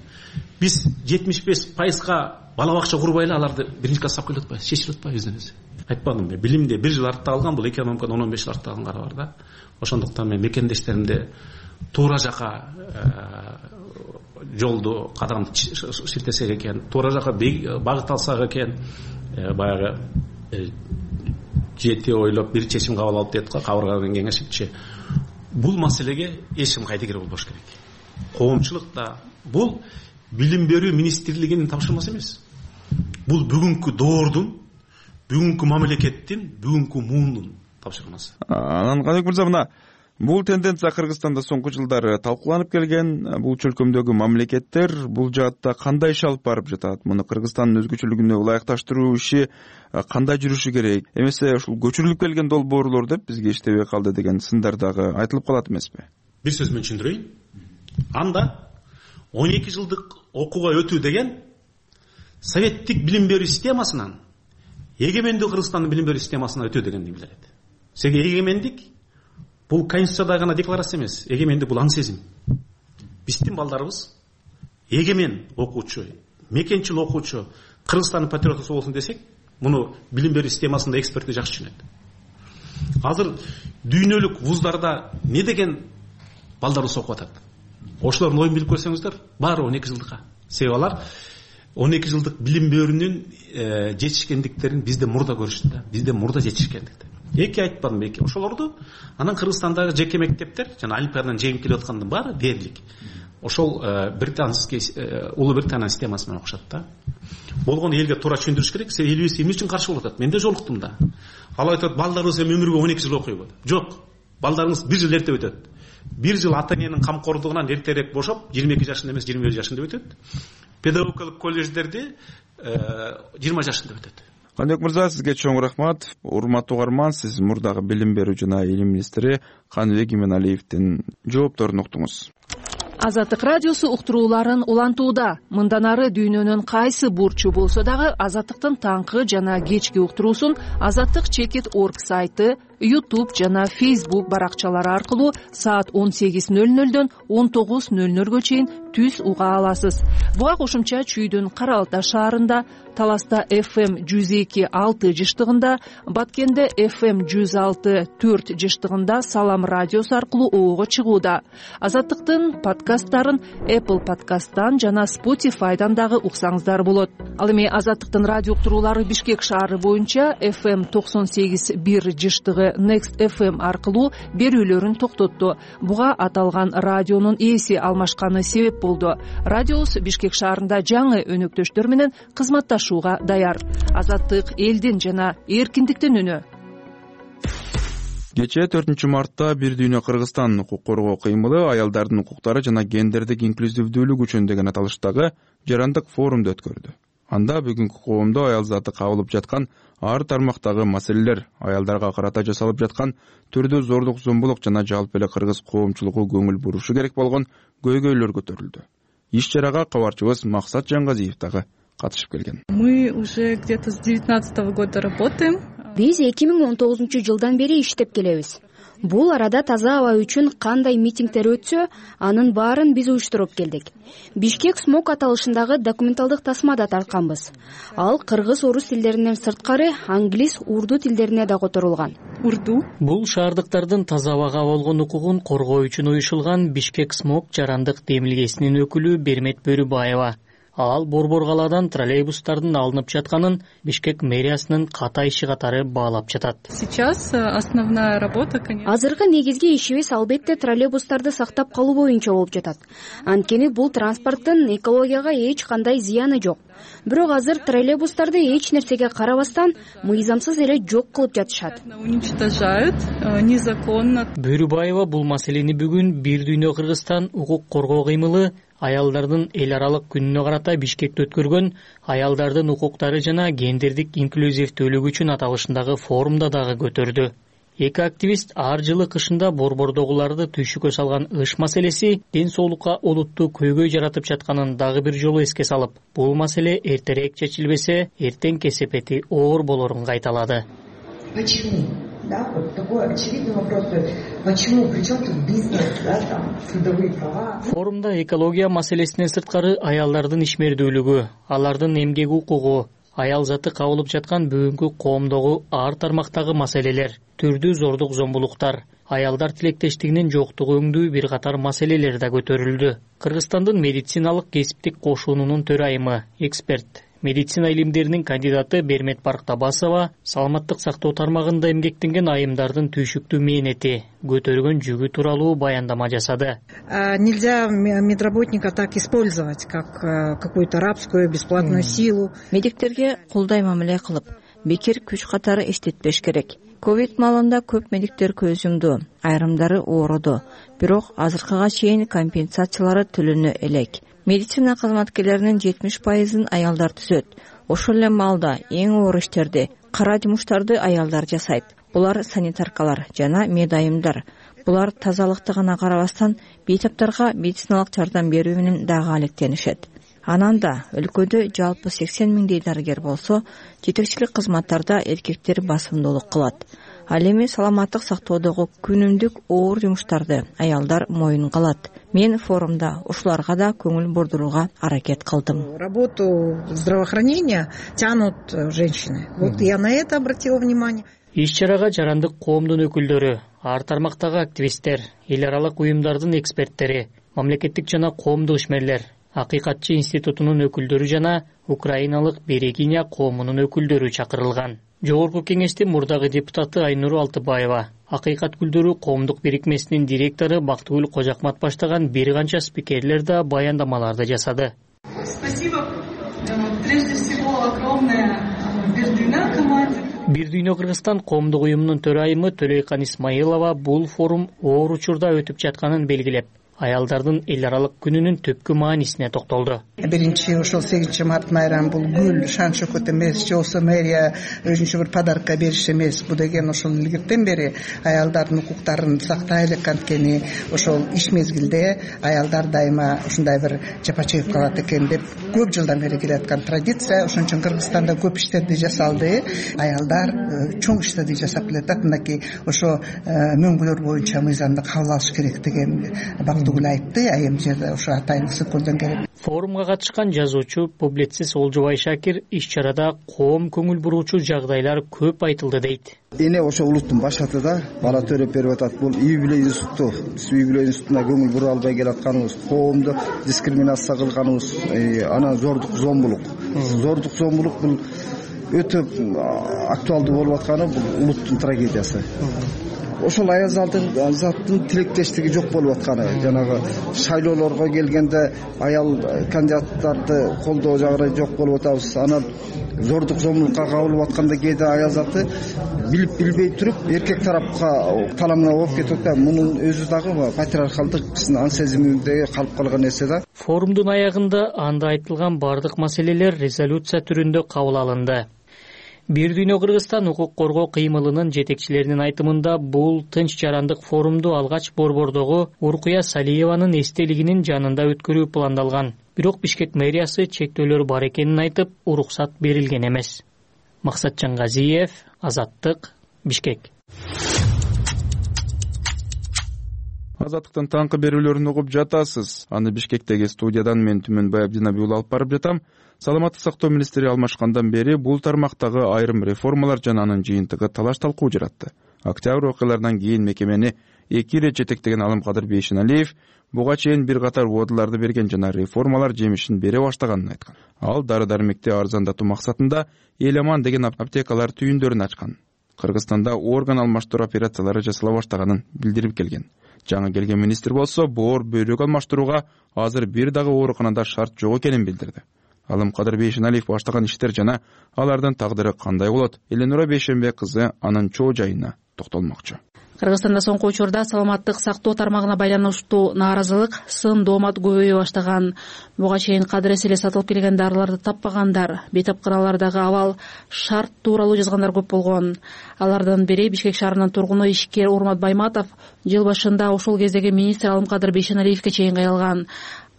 биз жетимиш беш пайызга бала бакча курбай эле аларды биринчи класска алып келип атпайбыз, чечилип атпайбыз өзү. Айтпадымбы, билимде бир жыл артта калган, бул экономикада он он беш жыл артта калган кара бар да. Ошондуктан мен мекендештеримди туура жака жолду кадам шилтесек экен, туура жака багыт алсак экен, баягы жети ойлоп бир чечим кабыл алып дейт го, кабыргадан кеңешипчи. Бул маселеге эч ким кайдыгер болбош керек. Коомчулукта бул билим берүү министрлигинин тапшырмасы эмес. Бул бүгүнкү доордун, бүгүнкү мамлекеттин, бүгүнкү муундун тапшырмасы. Анан Каныбек мырза, мына бул тенденция Кыргызстанда соңку жылдары талкууланып келген. Бул чөлкөмдөгү мамлекеттер бул жаатта кандай иш алып барып жатат? Муну Кыргызстандын өзгөчөлүгүнө ылайыкташтыруу иши кандай жүрүшү керек? Эмесе ушул көчүрүлүп келген долбоорлор деп бизге иштебей калды деген сындар дагы айтылып калат эмеспи? Бир сөз менен түшүндүрөйүн. Анда он эки жылдык окууга өтүү деген советтик билим берүү системасынан эгемендүү Кыргызстандын билим берүү системасына өтүү дегенди билдирет. Себеби эгемендик бул конституцияда гана декларация эмес, эгемендик бул аң сезим. Биздин балдарыбыз эгемен окуучу, мекенчил окуучу, Кыргызстандын патриоту болсун десек, муну билим берүү системасында экспертти жакшы түшүнөт. Азыр дүйнөлүк вуздарда не деген балдарыбыз окуп атат? Ошолордун оюн билип көрсөңүздөр, баары он эки жылдыкка. Себеби алар он эки жылдык билим берүүнүн жетишкендиктерин бизде мурда көрүштү да, бизде мурда жетишкендикти. Эки айтпадым эки. Ошолорду анан Кыргызстандагы жеке мектептер жана олимпиададан жеңип келип аткандын баары дээрлик. Ошол британский Улуу Британия системасы менен окушат да. Болгону элге туура түшүндүрүш керек. Себеби элибиз эмне үчүн каршы болуп атат? Мен да жолуктум да. Алар айтат, балдарыбыз эми өмүргө он эки жыл окуйбу? Жок. Балдарыңыз бир жыл эрте өтөт. Бир жыл ата эненин камкордугунан эртерээк бошоп, жыйырма эки жашында эмес, жыйырма бир жашында өтөт. Педагогикалык колледждерди жыйырма жашында өтөт. Каныбек мырза, сизге чоң рахмат. Урматтуу угарман, сиз мурдагы билим берүү жана илим министри Каныбек Иманалиевдин жоопторун уктуңуз. Азаттык радиосу уктурууларын улантууда. Мындан ары дүйнөнүн кайсы бурчу болсо дагы Азаттыктын таңкы жана кечки уктуруусун Азаттык чекит точка орг сайты, YouTube жана Facebook баракчалары аркылуу саат он сегиз ноль нолдон он тогуз ноль нолго чейин түз уга аласыз. Буга кошумча Чүйдүн Кара Алтай шаарында, Таласта эф эм жүз эки алты жыштыгында, Баткенде эф эм жүз алты төрт жыштыгында Салам радиосу аркылуу оого чыгууда. Азаттыктын подкасттарын Apple подкасттан жана Spotify'дан дагы уксаңыздар болот. Ал эми Азаттыктын радио уктуруулары Бишкек шаары боюнча эф эм токсон сегиз бир жыштыгы Next эф эм аркылуу берүүлөрүн токтотту. Буга аталган радионун ээси алмашканы себеп болду. Радиобуз Бишкек шаарында жаңы өнөктөштөр менен кызматташууга даяр. Азаттык элдин жана эркиндиктин үнү. Кечээ төртүнчү мартта Бир дүйнө Кыргызстан укук коргоо кыймылы аялдардын укуктары жана гендердик инклюзивдүүлүк үчүн деген аталыштагы жарандык форумду өткөрдү. Анда бүгүнкү коомдо аял заты кабылып жаткан ар тармактагы маселелер, аялдарга карата жасалып жаткан түрдүү зордук зомбулук жана жалпы эле кыргыз коомчулугу көңүл бурушу керек болгон көйгөйлөр көтөрүлдү. Иш чарага кабарчыбыз Максат Жангазиев дагы катышып келген. Мы уже где-то с девятнадцатого года работаем. Биз эки миң он тогузунчу жылдан бери иштеп келебиз. Бул арада таза аба үчүн кандай митингдер өтсө, анын баарын биз уюштуруп келдик. Бишкек смог аталышындагы документалдык тасма да тартканбыз. Ал кыргыз, орус тилдеринен сырткары англис, урду тилдерине да которулган. Урду. Бул шаардыктардын таза абага болгон укугун коргоо үчүн уюшулган Бишкек смог жарандык демилгесинин өкүлү Бермет Бөрүбаева. Ал борбор калаадан троллейбустардын алынып жатканын Бишкек мэриясынын ката иши катары баалап жатат. Сейчас основная работа, конечно. Азыркы негизги ишибиз албетте троллейбустарды сактап калуу боюнча болуп жатат. Анткени бул транспорттун экологияга эч кандай зыяны жок. Бирок азыр троллейбустарды эч нерсеге карабастан мыйзамсыз эле жок кылып жатышат. Уничтожают незаконно. Бөрүбаева бул маселени бүгүн Бир дүйнө Кыргызстан укук коргоо кыймылы аялдардын эл аралык күнүнө карата Бишкекте өткөргөн аялдардын укуктары жана гендердик инклюзивдүүлүк үчүн аталышындагы форумда дагы көтөрдү. Эки активист ар жылы кышында борбордогуларды түйшүккө салган ыш маселеси ден соолукка олуттуу көйгөй жаратып жатканын дагы бир жолу эске салып, бул маселе эртерээк чечилбесе, эртең кесепети оор болорун кайталады. Почему? Да, вот такой очевидный вопрос. Почему? Причем тут бизнес, да, там, трудовые права? Форумда экология маселесинен сырткары аялдардын ишмердүүлүгү, алардын эмгек укугу, аял заты кабылып жаткан бүгүнкү коомдогу ар тармактагы маселелер, түрдүү зордук зомбулуктар, аялдар тилектештигинин жоктугу өңдүү бир катар маселелер да көтөрүлдү. Кыргызстандын медициналык кесиптик кошуунунун төрайымы, эксперт, медицина илимдеринин кандидаты Бермет Барктабасова саламаттык сактоо тармагында эмгектенген айымдардын түйшүктүү мээнети, көтөргөн жүгү тууралуу баяндама жасады. Нельзя медработника так использовать, как какую-то рабскую бесплатную силу. Медиктерге кулдай мамиле кылып, бекер күч катары иштетпеш керек. Ковид маалында көп медиктер көз жумду, айрымдары оороду. Бирок азыркыга чейин компенсациялары төлөнө элек. Медицина кызматкерлеринин жетимиш пайызын аялдар түзөт. Ошол эле маалда эң оор иштерди, кара жумуштарды аялдар жасайт. Булар санитаркалар жана медайымдар. Булар тазалыкты гана карабастан бейтаптарга медициналык жардам берүү менен дагы алектенишет. Анан да өлкөдө жалпы сексен миңдей дарыгер болсо, жетекчилик кызматтарда эркектер басымдуулук кылат. Ал эми саламаттык сактоодогу күнүмдүк оор жумуштарды аялдар моюнга алат. Мен форумда ушуларга да көңүл бурдурууга аракет кылдым. Работу здравоохранения тянут женщины. Вот я на это обратила внимание. Иш-чарага жарандык коомдун өкүлдөрү, ар тармактагы активисттер, эл аралык уюмдардын эксперттери, мамлекеттик жана коомдук ишмерлер, Акыйкатчы институтунун өкүлдөрү жана украиналык Берегиня коомунун өкүлдөрү чакырылган. Жогорку кеңештин мурдагы депутаты Айнур Алтыбаева, Акыйкат гүлдөрү коомдук бирикмесинин директору Бактыгүл Кожакмат баштаган бир канча спикерлер да баяндамаларды жасады. Спасибо. Прежде всего огромное Бир дүйнө команде. Бир дүйнө Кыргызстан коомдук уюмунун төрайымы Төлөйкан Исмаилова бул форум оор учурда өтүп жатканын белгилеп, аялдардын эл аралык күнүнүн түпкү маанисине токтолду. Биринчи ошол сегизинчи март майрамы бул гүл, шан шөкөт эмес, же болбосо мэрия өзүнчө бир подарка бериш эмес. Бу деген ошол илгертен бери аялдардын укуктарын сактай элек, анткени ошол иш мезгилде аялдар дайыма ушундай бир жапа чегип калат экен деп көп жылдан бери келаткан традиция. Ошон үчүн Кыргызстанда көп иштерди жасалды. Аялдар чоң иштерди жасап келатат. Мынакей ошо мөңгүлөр боюнча мыйзамды кабыл алыш керек деген айтты, айым жерде ошо атайын сөкөлдөн келип. Форумга катышкан жазуучу, публицист Олжобай Шакир иш-чарада коом көңүл буруучу жагдайлар көп айтылды дейт. Эне ошо улуттун башатыда бала төрөп берип атат. Бул үй-бүлө институту, биз үй-бүлө институтуна көңүл бура албай келатканыбыз, коомду дискриминация кылганыбыз, анан зордук зомбулук. Зордук зомбулук бул өтө актуалдуу болуп атканы бул улуттун трагедиясы. Ошол аял заттын тилектештиги жок болуп атканы, жанагы шайлоолорго келгенде аял кандидаттарды колдоо жагы жок болуп атабыз. Анан зордук зомбулукка кабылып атканда кээде аял заты билип билбей туруп эркек тарапка таламына болуп кетип атат. Мунун өзү дагы патриархалдык биздин ан сезиминдеги калып калган нерсе да. Форумдун аягында анда айтылган бардык маселелер резолюция түрүндө кабыл алынды. Бир дүйнө Кыргызстан укук коргоо кыймылынын жетекчилеринин айтымында бул тынч жарандык форумду алгач борбордогу Уркуя Салиеванын эстелигинин жанында өткөрүү пландалган. Бирок Бишкек мэриясы чектөөлөр бар экенин айтып, уруксат берилген эмес. Максатжан Газиев, Азаттык, Бишкек. Азаттыктын таңкы берүүлөрүн угуп жатасыз. Аны Бишкектеги студиядан мен Түмөнбай Абдинабий уулу алып барып жатам. Саламаттык сактоо министри алмашкандан бери бул тармактагы айрым реформалар жана анын жыйынтыгы талаш талкуу жаратты. Октябрь окуяларынан кийин мекемени эки ирет жетектеген Алымкадыр Бейшеналиев буга чейин бир катар убадаларды берген жана реформалар жемишин бере баштаганын айткан. Ал дары-дармекти арзандатуу максатында Эламан деген аптекалар түйүндөрүн ачкан. Кыргызстанда орган алмаштыруу операциялары жасала баштаганын билдирип келген. Жаңы келген министр болсо боор бөйрөк алмаштырууга азыр бир дагы ооруканада шарт жок экенин билдирди. Алымкадыр Бейшеналиев баштаган иштер жана алардын тагдыры кандай болот? Эленура Бейшенбек кызы анын чоо жайына токтолмокчу. Кыргызстанда соңку учурда саламаттык сактоо тармагына байланыштуу нааразылык, сын доомат көбөйө баштаган. Буга чейин кадырес эле сатылып келген дарыларды таппагандар, бейтапкыралардагы абал шарт тууралуу жазгандар көп болгон. Алардын бири Бишкек шаарынын тургуну ишкер Урмат Байматов жыл башында ошол кездеги министр Алымкадыр Бейшеналиевке чейин кайрылган.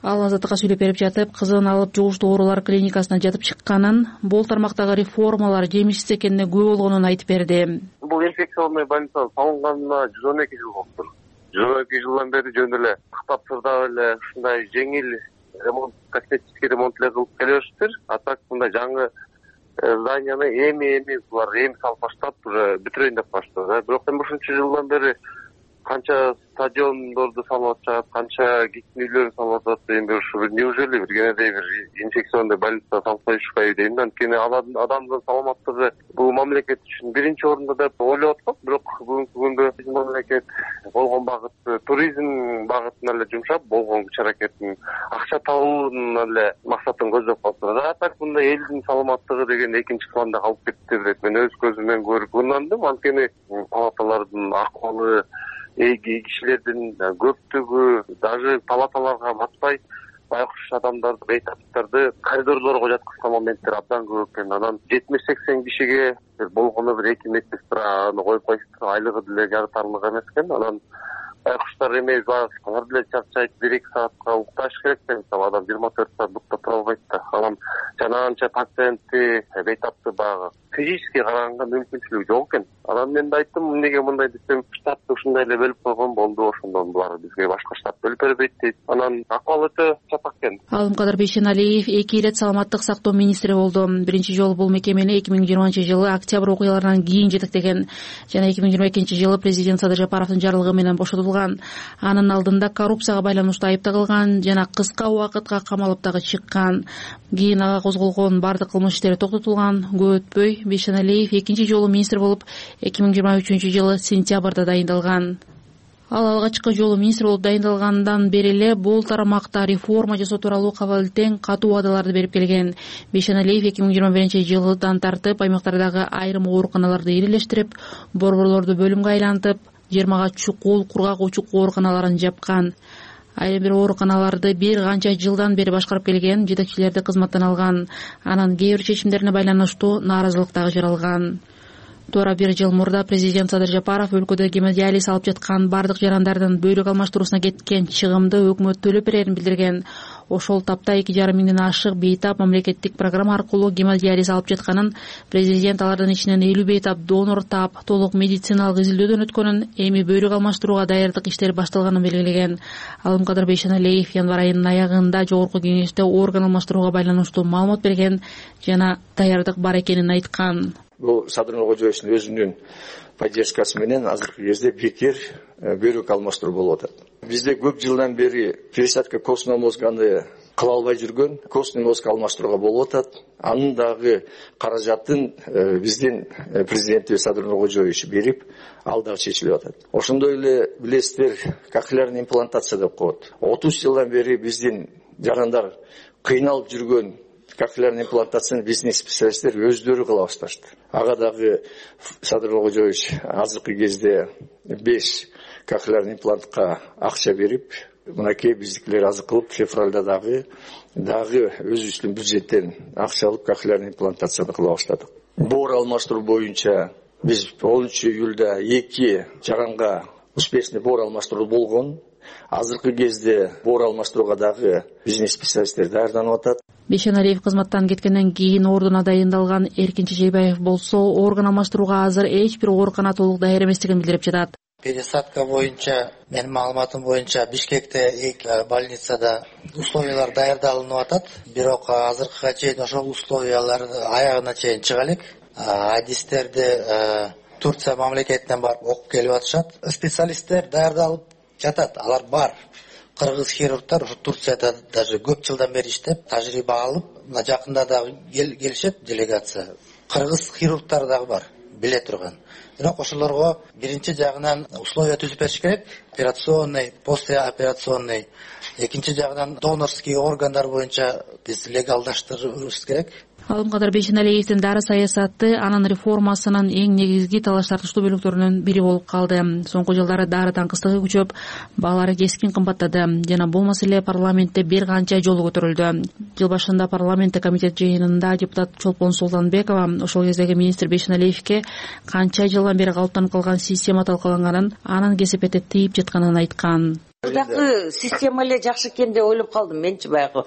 Ал Азаттыкка сүйлөп берип жатып, кызын алып жугуштуу оорулар клиникасына жатып чыкканын, бул тармактагы реформалар жемишсиз экенине күбө болгонун айтып берди. Бул инфекционный больница салынганына жүз он эки жыл болуптур. жүз он эки жылдан бери жөн эле кыптап сырдап эле ушундай жеңил ремонт, косметический ремонт эле кылып келишиптир. А так мындай жаңы зданияны эми эми булар эми салып баштап уже бүтүрөйүн деп баштады. Бирок эми ушунча жылдан бери канча стадиондорду салып атышат, канча кичин үйлөрдү салып атышат. Эми ушу неужели бир кенедей бир инфекционный больница салып коюшпайбы дейм. Анткени адамдын саламаттыгы бул мамлекет үчүн биринчи орунда деп ойлоп атат. Бирок бүгүнкү күндө биздин мамлекет болгон багыт туризм багытына эле жумшап, болгон күч аракетин акча табуунун эле максатын көздөп калса, а так мындай элдин саламаттыгы деген экинчи планда калып кетти деп мен өз көзүм менен көрүп кыйнандым. Анткени палаталардын акыбалы, эги кишилердин көптүгү даже палаталарга батпай байкуш адамдарды, бейтаптарды коридорлорго жаткызган моменттер абдан көп экен. Анан жетимиш сексен кишиге болгону бир эки медсестра аны коюп коюштур, айлыгы деле жарытарлык эмес экен. Анан байкуштар эме алар деле чарчайт, бир эки саатка укташ керек да, мисалы адам жыйырма төрт саат бутта тура албайт да. Анан жана анча пациентти, бейтапты баягы физически караганга мүмкүнчүлүгү жок экен. Анан мен да айттым, эмнеге мындай десем, штатты ушундай эле бөлүп койгон болду, ошондон булар бизге башка штат бөлүп бербейт дейт. Анан акыбал өтө чатак экен. Алымкадыр Бейшеналиев эки ирет саламаттык сактоо министри болду. Биринчи жолу бул мекемени эки миң жыйырманчы жылы октябрь окуяларынан кийин жетектеген жана эки миң жыйырма экинчи жылы президент Садыр Жапаровдун жарлыгы менен бошотулган. Анын алдында коррупцияга байланыштуу айыпталган жана кыска убакытка камалып дагы чыккан. Кийин ага козголгон бардык кылмыш иштери токтотулган. Көп өтпөй Бейшеналиев экинчи жолу министр болуп эки миң жыйырма үчүнчү жылы сентябрда дайындалган. Ал алгачкы жолу министр болуп дайындалгандан бери эле бул тармакта реформа жасоо тууралуу кабыл-тең катуу убадаларды берип келген. Бейшеналиев эки миң жыйырма биринчи жылдан тартып аймактардагы айрым ооруканаларды ирилештирип, борборлорду бөлүмгө айлантып, жыйырмага чукул, кургак учук ооруканаларын жапкан. Айрым бир ооруканаларды бир канча жылдан бери башкарып келген, жетекчилерди кызматтан алган. Анан кээ бир чечимдерине байланыштуу нааразылык дагы жаралган. Туура бир жыл мурда президент Садыр Жапаров өлкөдө гемодиализ алып жаткан бардык жарандардын бөйрөк алмаштыруусуна кеткен чыгымды өкмөт төлөп берерин билдирген. Ошол тапта эки жарым миңден ашык бейтап мамлекеттик программа аркылуу гемодиализ алып жатканын, президент алардын ичинен элүү бейтап донор таап, толук медициналык изилдөөдөн өткөнүн, эми бөйрөк алмаштырууга даярдык иштери башталганын белгилеген. Алымкадыр Бейшеналиев январь айынын аягында жогорку кеңеште орган алмаштырууга байланыштуу маалымат берген жана даярдык бар экенин айткан. Бул Садыр Нуркожоевичтин өзүнүн поддержкасы менен азыркы кезде бекер бөйрөк алмаштыруу болуп атат. Бизде көп жылдан бери пересадка костный мозганы кыла албай жүргөн, костный мозг алмаштырууга болуп атат. Анын дагы каражатын биздин президентибиз Садыр Нуркожоевич берип, ал дагы чечилип атат. Ошондой эле билесиздер, кохлеарный имплантация деп коет. отуз жылдан бери биздин жарандар кыйналып жүргөн кохлеарный имплантацияны биздин специалисттер өздөрү кыла башташты. Ага дагы Садыр Нуркожоевич азыркы кезде беш кохлеарный имплантка акча берип, мынакей биздикилер азыр кылып, февралда дагы дагы өзүбүздүн бюджеттен акча алып кохлеарный имплантацияны кыла баштадык. Боор алмаштыруу боюнча биз онунчу июлда эки жаранга успешный боор алмаштыруу болгон. Азыркы кезде боор алмаштырууга дагы бизнес специалисттер даярданып атат. Бейшеналиев кызматтан кеткенден кийин ордуна дайындалган Эркин Чечейбаев болсо орган алмаштырууга азыр эч бир оорукана толук даяр эместигин билдирип жатат. Пересадка боюнча, менин маалыматым боюнча Бишкекте эки больницада условиялар даярдалынып атат. Бирок азыркыга чейин ошол условиялар аягына чейин чыга элек. Адистерди Турция мамлекетинен барып окуп келип атышат. Специалисттер даярдалып жатат, алар бар. Кыргыз хирургтар ушу Турцияда даже көп жылдан бери иштеп, тажрыйба алып, мына жакында да келишет делегация. Кыргыз хирургтар дагы бар, биле турган. Бирок ошолорго биринчи жагынан условия түзүп бериш керек. Операционный, послеоперационный. Экинчи жагынан донорский органдар боюнча биз легалдаштырышыбыз керек. Алым кадыр Бейшеналиевдин дары саясаты анын реформасынын эң негизги талаш тартыштуу бөлүктөрүнүн бири болуп калды. Соңку жылдары дары таңкыстыгы күчөп, баалары кескин кымбаттады. Жана бул маселе парламентте бир канча жолу көтөрүлдү. Жыл башында парламентте комитет жыйынында депутат Чолпон Султанбекова ошол кездеги министр Бейшеналиевке канча жылдан бери калыптанып калган система талкаланганын, анын кесепети тийип жатканын айткан. Мурдакы система эле жакшы экен деп ойлоп калдым менчи. Баягы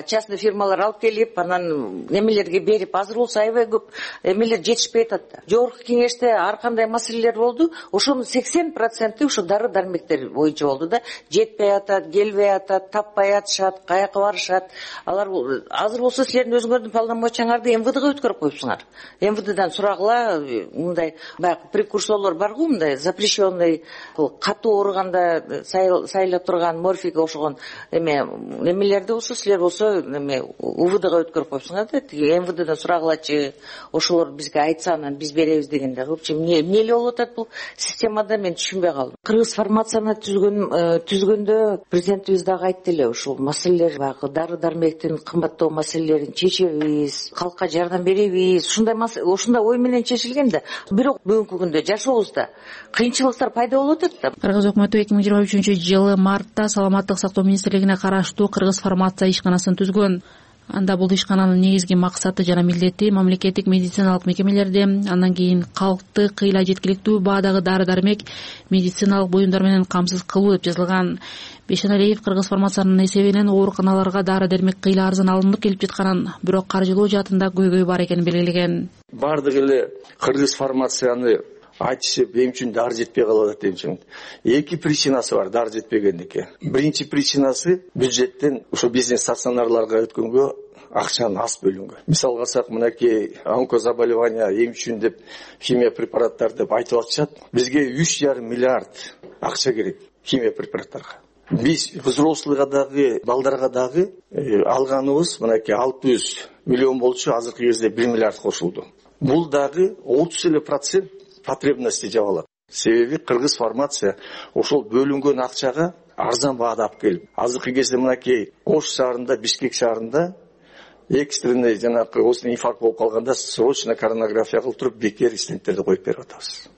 частный фирмалар алып келип, анан немелерге берип, азыр болсо аябай көп эмелер жетишпей атат да. Жогорку кеңеште ар кандай маселелер болду, ошонун сексен проценти ушу дары дармектер боюнча болду да. Жетпей атат, келбей атат, таппай атышат, каяка барышат. Алар азыр болсо силердин өзүңөрдүн полномочияңарды эм вэ дэге өткөрүп коюпсуңар. эм вэ дэден сурагыла, мындай баягы прекурсорлор баргы, мындай запрещенный, катуу ооруганда сайла турган морфийге окшогон эме немелерди болсо силер болсо эме у вэ дэге өткөрүп коюпсуңар да. Тиги эм вэ дэден сураглачы, ошолор бизге айтса анан биз беребиз дегенде. В общем, эмне эмне эле болуп атат бул системада, мен түшүнбөй калдым. Кыргыз фармацияны түзгөн түзгөндө президентибиз дагы айтты эле, ушул маселелер баягы дары дармектин кымбаттоо маселелерин чечебиз, калкка жардам беребиз. Ушундай ушундай ой менен чечилген да. Бирок бүгүнкү күндө жашообузда кыйынчылыктар пайда болуп атат да. Кыргыз өкмөтү эки миң жыйырма үчүнчү жылы мартта саламаттык сактоо министрлигине караштуу Кыргыз фармация ишканасын түзгөн. Анда бул ишкананын негизги максаты жана милдети мамлекеттик медициналык мекемелерди, андан кийин калкты кыйла жеткиликтүү баадагы дары-дармек, медициналык буюмдар менен камсыз кылуу деп жазылган. Бейшеналиев Кыргыз фармациянын эсебинен ооруканаларга дары-дармек кыйла арзан алынып келип жатканын, бирок каржылоо жаатында көйгөй бар экенин белгилеген. Бардык эле Кыргыз фармацияны айтышып, эм үчүн дары жетпей калып атат эм үчүн. Эки причинасы бар дары жетпегендики. Биринчи причинасы бюджеттен ошо бизнес стационарларга өткөнгө акчаны аз бөлүнгөн. Мисал алсак, мынакей онкозаболевания эм үчүн деп химия препараттар деп айтып атышат. Бизге үч жарым миллиард акча керек химия препараттарга. Биз взрослыйга дагы, балдарга дагы алганыбыз мынакей алты жүз миллион болчу, азыркы кезде бир миллиард кошулду. Бул дагы отуз эле процент потребности жабылат. Себеби Кыргыз фармация ошол бөлүнгөн акчага арзан баада алып келип, азыркы кезде мынакей Ош шаарында, Бишкек шаарында экстренный жанагы осындай инфаркт болуп калганда срочно коронарография кылып туруп бекер стенттерди коюп берип атабыз.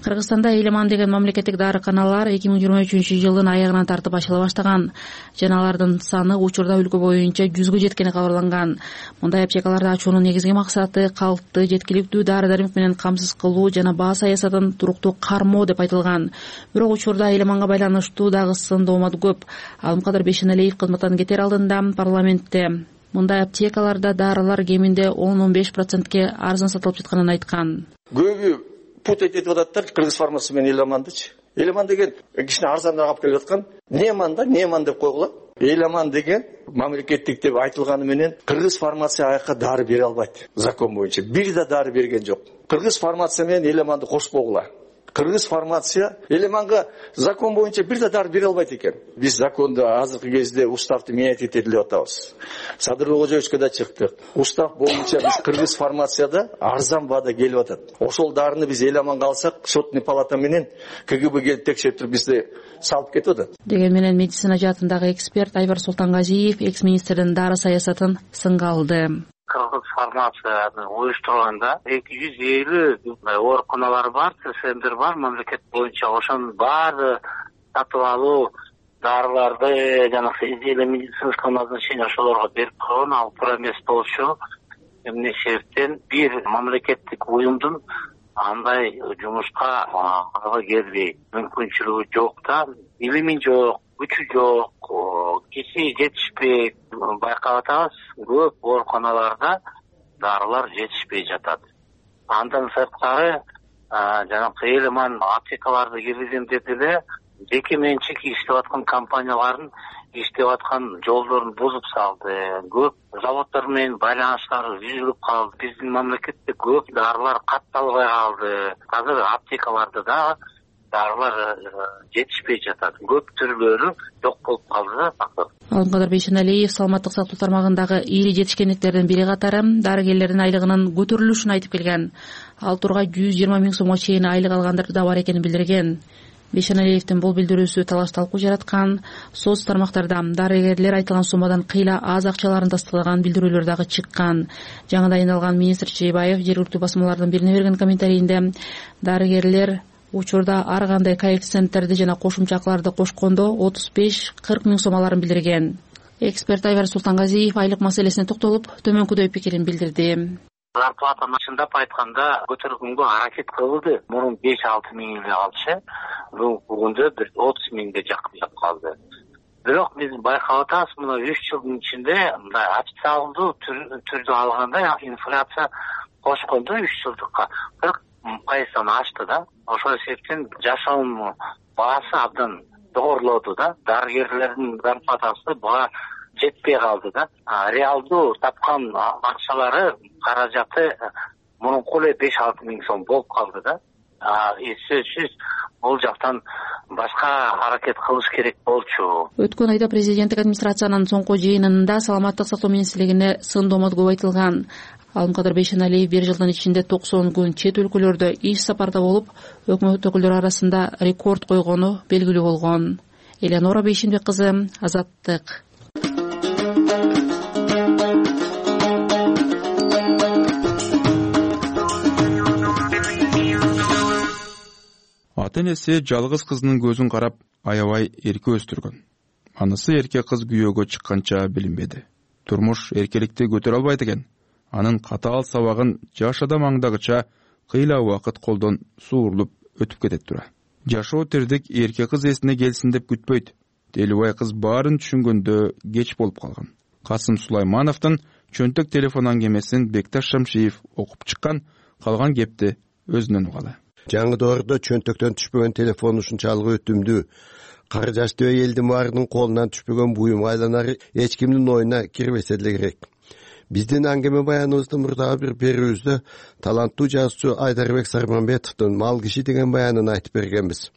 Кыргызстанда Элеман деген мамлекеттик дарыканалар эки миң жыйырма үчүнчү жылдын аягынан тартып ачыла баштаган. Жана алардын саны учурда өлкө боюнча жүзгө жеткени кабарланган. Мындай аптекаларды ачуунун негизги максаты калкты жеткиликтүү дары-дармек менен камсыз кылуу жана баа саясатын туруктуу кармоо деп айтылган. Бирок учурда Элеманга байланыштуу дагы сын доомат көп. Алым кадыр Бейшеналиев кызматтан кетер алдында парламентте мындай аптекаларда дарылар кеминде он он беш процентке арзан сатылып жатканын айткан. Көбү путать этип ататтар Кыргыз фармация менен Элемандычы. Элеман деген кичине арзаныраак алып келип аткан. Неман да, Неман деп койгула. Элеман деген мамлекеттик деп айтылганы менен Кыргыз фармация аяка дары бере албайт. Закон боюнча бир да дары берген жок. Кыргыз фармация менен Элеманды кошпогула. Кыргыз фармация Элеманга закон боюнча бир да дары бере албайт экен. Биз законду азыркы кезде уставды менять этели деп атабыз. Садыр Кожоевичке да чыктык. Устав боюнча биз Кыргыз фармацияда арзан баада келип атат. Ошол дарыны биз Элеманга алсак, шотный палата менен ка гэ бэ келип текшерип туруп бизди салып кетип атат. Деген менен медицина жаатындагы эксперт Айбар Султангазиев экс-министрдин дары саясатын сынга алды. Кыргыз фармацияны уюштурганда эки жүз элүү ооруканалар бар, центр бар мамлекет боюнча. Ошонун баары сатып алуу дарыларды жана изделие медицинского назначения ошолорго берип койгон, ал туура эмес болчу. Эмне себептен бир мамлекеттик уюмдун андай жумушка ага келбейт, мүмкүнчүлүгү жок да, илими жок, күчү жок, киши жетишпейт. Байкап атабыз, көп ооруканаларда дарылар жетишпей жатат. Андан сырткары жанагы элеман аптекаларды киргизем деп эле жеке менчик иштеп аткан компаниялардын иштеп аткан жолдорун бузуп салды. Көп заводдор менен байланыштары үзүлүп калды. Биздин мамлекетте көп дарылар катталбай калды. Азыр аптекаларда да дарылар жетишпей жатат. Көп түрлөрү жок болуп калды да. Алымкадыр Бейшеналиев саламаттык сактоо тармагындагы ири жетишкендиктердин бири катары дарыгерлердин айлыгынын көтөрүлүшүн айтып келген. Ал тургай жүз жыйырма миң сомго чейин айлык алгандар да бар экенин билдирген. Бейшеналиевдин бул билдирүүсү талаш талкуу жараткан. Соц тармактарда дарыгерлер айтылган суммадан кыйла аз акчаларын тастыктаган билдирүүлөр дагы чыккан. Жаңы дайындалган министр Чейбаев жергиликтүү басмалардын бирине берген комментарийинде дарыгерлер учурда ар кандай коэффициенттерди жана кошумча акыларды кошкондо отуз беш кырк миң сом аларын билдирген. Эксперт Айвар Султангазиев айлык маселесине токтолуп, төмөнкүдөй пикирин билдирди. Зарплатаны чындап айтканда көтөргөнгө аракет кылды. Мурун беш алты миң эле алчы, бүгүндө бир отуз миңге жакын калды. Бирок биз байкап атабыз, мына үч жылдын ичинде мындай официалдуу түрдө алганда инфляция кошкондо үч жылдыкка кырк пайыздан ашты да. Ошол себептен жашоонун баасы абдан жогорулоду да. Дарыгерлердин зарплатасы баа жетпей калды да. Реалдуу тапкан акчалары, каражаты мурунку эле беш алты миң сом болуп калды да. Сөзсүз бул жактан башка аракет кылыш керек болчу. Өткөн айда президенттик администрациянын соңку жыйынында саламаттык сактоо министрлигине сын-домот көп айтылган. Алымкадыр Бейшеналиев бир жылдын ичинде токсон күн чет өлкөлөрдө иш сапарда болуп, өкмөт өкүлдөрү арасында рекорд койгону белгилүү болгон. Элеонора Бейшенбек кызы, Азаттык. Ата-энеси жалгыз кызынын көзүн карап, аябай эрке өстүргөн. Анысы эрке кыз күйөөгө чыкканча билинбеди. Турмуш эркеликти көтөрө албайт экен. Анын катаал сабагын жаш адам аңдагыча кыйла убакыт колдон суурлуп өтүп кетет тура. Жашоо тирдик эрке кыз эсине келсин деп күтпөйт. Телибай кыз баарын түшүнгөндө кеч болуп калган. Касым Сулаймановдун чөнтөк телефон аңгемесин Бекташ Шамшиев окуп чыккан, калган кепти өзүнөн угалы. Жаңы доордо чөнтөктөн түшпөгөн телефон ушунчалык өтүмдүү, кары жаштуу элдин баарынын колунан түшпөгөн буюмга айланары эч кимдин оюна кирбесе деле керек. Биздин аңгеме баяныбыздын мурдагы бир берүүбүздө таланттуу жазуучу Айдарбек Сарманбетовдун Мал киши деген баянын айтып бергенбиз.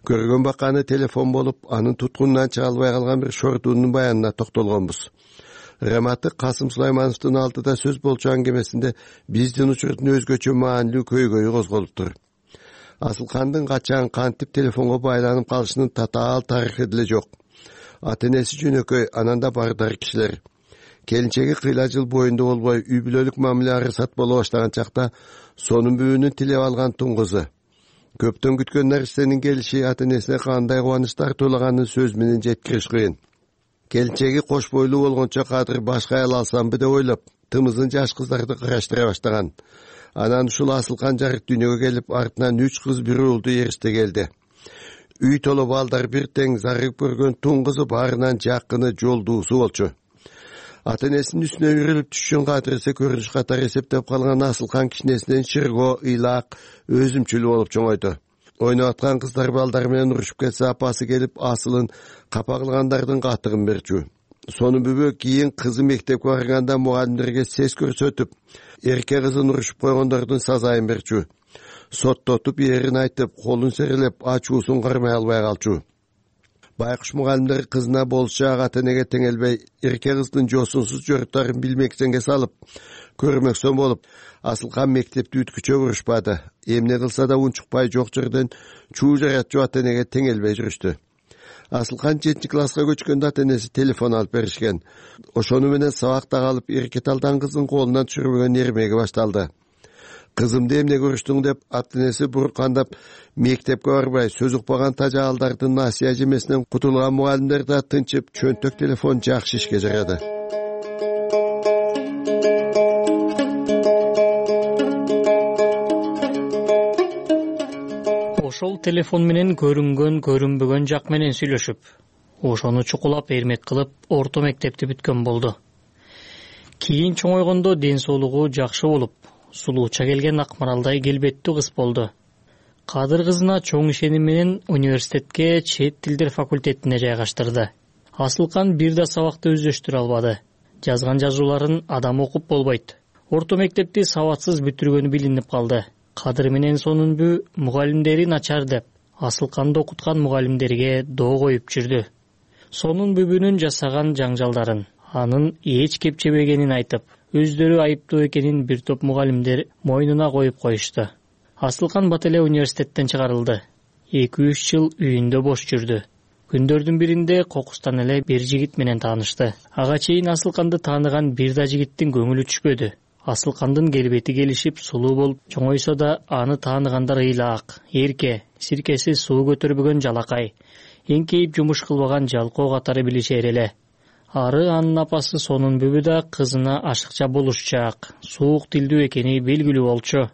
Көргөн баканы телефон болуп, анын туткунунан чыга албай калган бир шортуунун баянына токтолгонбуз. Рематы Касым Сулаймановдун алдыда сөз болчу аңгемесинде биздин учурдун өзгөчө маанилүү көйгөйү козголуптур. Асылкандын качан кантип телефонго байланып калышынын татаал тарыхы деле жок. Ата-энеси жөнөкөй, ананда бардар кишилер. Келинчеги кыйла жыл боюнда болбой үй бүлөлүк мамиле арысат боло баштаган чакта сонун бүбүнүн тилеп алган тун кызы. Көптөн күткөн нерсенин келиши ата-энесине кандай кубаныч тартуулаганын сөз менен жеткириш кыйын. Келинчеги кош бойлуу болгончо кадыр башка аял алсамбы деп ойлоп, тымызын жаш кыздарды кыраштыра баштаган. Анан ушул Асылкан жарык дүйнөгө келип, артынан үч кыз бир уулду эриште келди. Үй толо балдар бир тең зарыгып көргөн тун кызы баарынан жакыны жолдуусу болчу. Ата-энесинин үстүнө үрүлүп түшүн кадырысы көрүнүш катары эсептеп калган Асылкан кичинесинен чырго, ыйлаак, өзүмчүл болуп чоңойду. Ойноп аткан кыздар балдар менен урушуп кетсе, апасы келип асылын капа кылгандардын катыгын берчү. Сонун бүбө кийин кызы мектепке барганда мугалимдерге сес көрсөтүп, эрке кызын урушуп койгондордун сазайын берчү. Соттотуп эрин айтып, колун серелеп, ачуусун кармай албай калчу. Байкуш мугалимдер кызына болчу ата-энеге теңелбей, эрке кыздын жосунсуз жорттарын билмексенге салып, көрмөксөн болуп, Асылкан мектепти бүткүчө урушпады. Эмне кылса да унчукпай жок жерден чуу жаратчу ата-энеге теңелбей жүрүштү. Асылкан жетинчи класска көчкөндө ата-энеси телефон алып беришкен. Ошону менен сабакта калып, эрке талдан кыздын колунан түшүрбөгөн эрмеги башталды. Кызымды эмне көрүштүң деп ата-энеси буркандап мектепке барбай, сөз укпаган тажаалдардын насыя жемесинен кутулган мугалимдер да тынчып, чөнтөк телефон жакшы ишке жарады. ошол телефон менен көрүнгөн көрүнбөгөн жак менен сүйлөшүп, ошону чукулап эрмек кылып орто мектепти бүткөн болду. Кийин чоңойгондо ден соолугу жакшы болуп, сулууча келген Акмаралдай келбеттүү кыз болду. Кадыр кызына чоң ишеним менен университетке чет тилдер факультетине жайгаштырды. Асылкан бир да сабакты өздөштүрө албады. Жазган жазууларын адам окуп болбойт. Орто мектепти сабатсыз бүтүргөнү билинип калды. Кадыр менен Сонунбү мугалимдери начар деп, Асылканды окуткан мугалимдерге доо коюп жүрдү. Сонунбүбүнүн жасаган жаңжалдарын, анын эч кепчебегенин айтып, өздөрү айыптуу экенин бир топ мугалимдер мойнуна коюп коюшту. Асылкан бат эле университеттен чыгарылды. эки үч жыл үйүндө бош жүрдү. Күндөрдүн биринде кокустан эле бир жигит менен таанышты. Ага чейин Асылканды тааныган бир да жигиттин көңүлү түшпөдү. Асылкандын келбети келишип сулуу болуп чоңойсо да аны тааныгандар ыйлаак, эрке, сиркеси суу көтөрбөгөн жалакай, эңкейип жумуш кылбаган жалкоо катары билишер эле. Ары анын апасы Сонунбүбү да кызына ашыкча болушчаак, суук тилдүү экени белгилүү болчу.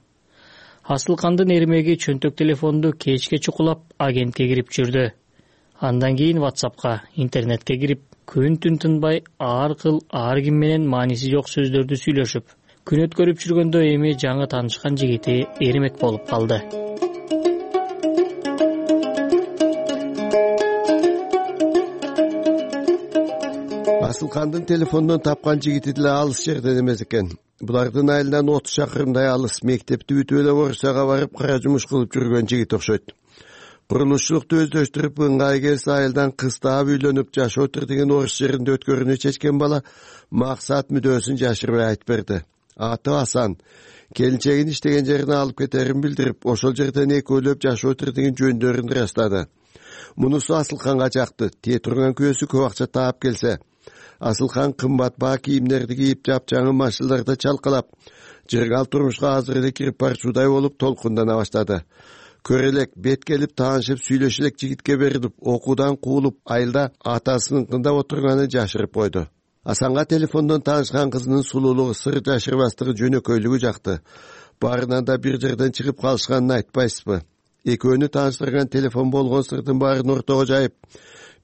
Асылкандын эрмеги чөнтөк телефонду кечке чукулап агентке кирип жүрдү. Андан кийин WhatsAppка, интернетке кирип, күн-түн тынбай ар кыл ар ким менен мааниси жок сөздөрдү сүйлөшүп, күн өткөрүп жүргөндө эми жаңы таанышкан жигити эрмек болуп калды. Асылкандын телефондон тапкан жигити деле алыс жерден эмес экен. Булардын айылынан отуз шакырымдай алыс мектепти бүтүп эле Орусияга барып кара жумуш кылып жүргөн жигит окшойт. Курулушчулукту өздөштүрүп ыңгай келсе айылдан кыз таап үйлөнүп жашоо тирдигин орус жеринде өткөрүүнү чечкен бала максат мүдөөсүн жашырбай айтып берди. Аты Асан. Келинчегин иштеген жерине алып кетерин билдирип, ошол жерден экөөлөп жашоо тирдигин жөндөрүн ырастады. Мунусу Асылканга жакты. Тие турган күбөсү көп акча таап келсе, Асылкан кымбат баа кийимдерди кийип, жапжаңы машиналарда чалкалап, жыргал турмушка азыр эле кирип барчуудай болуп толкундана баштады. Көрелек, бет келип таанышып сүйлөшөлек жигитке берилип, окуудан куулуп, айылда атасыныкында отурганын жашырып койду. Асанга телефондон таанышкан кызынын сулуулугу, сыр жашырбастыгы, жөнөкөйлүгү жакты. Баарынан да бир жерден чыгып калышканын айтпайсызбы? Экөөнү тааныштырган телефон болгон сырдын баарын ортого жайып,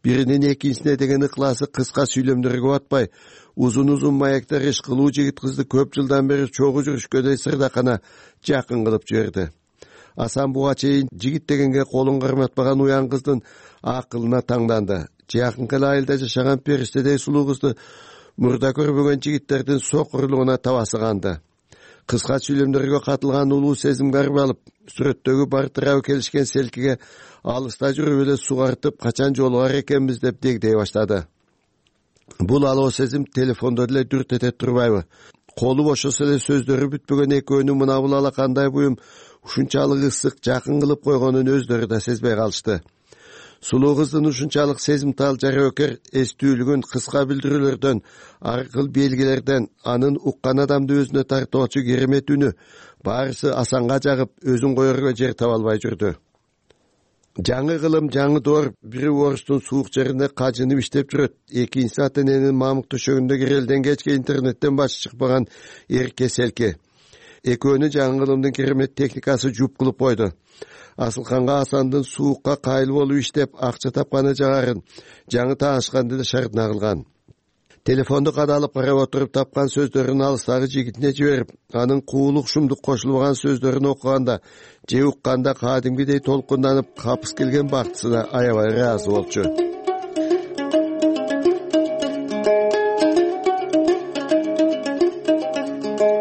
биринин экинчисине деген ыклаасы кыска сүйлөмдөргө батпай, узун-узун маектер иш кылуу жигит кызды көп жылдан бери чогуу жүрүшкөндөй сырдакана жакын кылып жиберди. Асан буга чейин жигит дегенге колун карматпаган уян кыздын акылына таңданды. Жакынкы эле айылда жашаган периштедей сулуу кызды мурда көрбөгөн жигиттердин сокурлугуна табасы канды. Кыска сүйлөмдөргө катылган улуу сезим карып алып, сүрөттөгү бартырабы келишкен селкиге алыста жүрүп эле сугартып, качан жолугар экенбиз деп дегдей баштады. Бул алоо сезим телефондо деле дүрт эте турбайбы? Колу бошосо эле сөздөрү бүтпөгөн экөөнүн мына бул ала кандай буюм ушунчалык ысык, жакын кылып койгонун өздөрү да сезбей калышты. Сулуу кыздын ушунчалык сезимтал жарөкер эстүүлүгүн кыска билдирүүлөрдөн, ар кыл белгилерден, анын уккан адамды өзүнө тартуучу керемет үнү баарысы Асанга жагып, өзүн коерго жер таба албай жүрдү. Жаңы кылым, жаңы доор, бири орустун суук жеринде кажынып иштеп жүрөт, экинчиси ата эненин мамык төшөгүндө кирелден кечке интернеттен башы чыкпаган эрке селке. Экөөнү жаңы кылымдын керемет техникасы жуп кылып койду. Асылканга Асандын суукка кайыл болуп иштеп, акча тапканы жагарын, жаңы таанышканды да шартына кылган. Телефонду кадалып карап отуруп тапкан сөздөрүн алыстагы жигитине жиберип, анын куулук шумдук кошулбаган сөздөрүн окуганда, же укканда кадимгидей толкунданып, капыс келген бактысына аябай ыраазы болчу.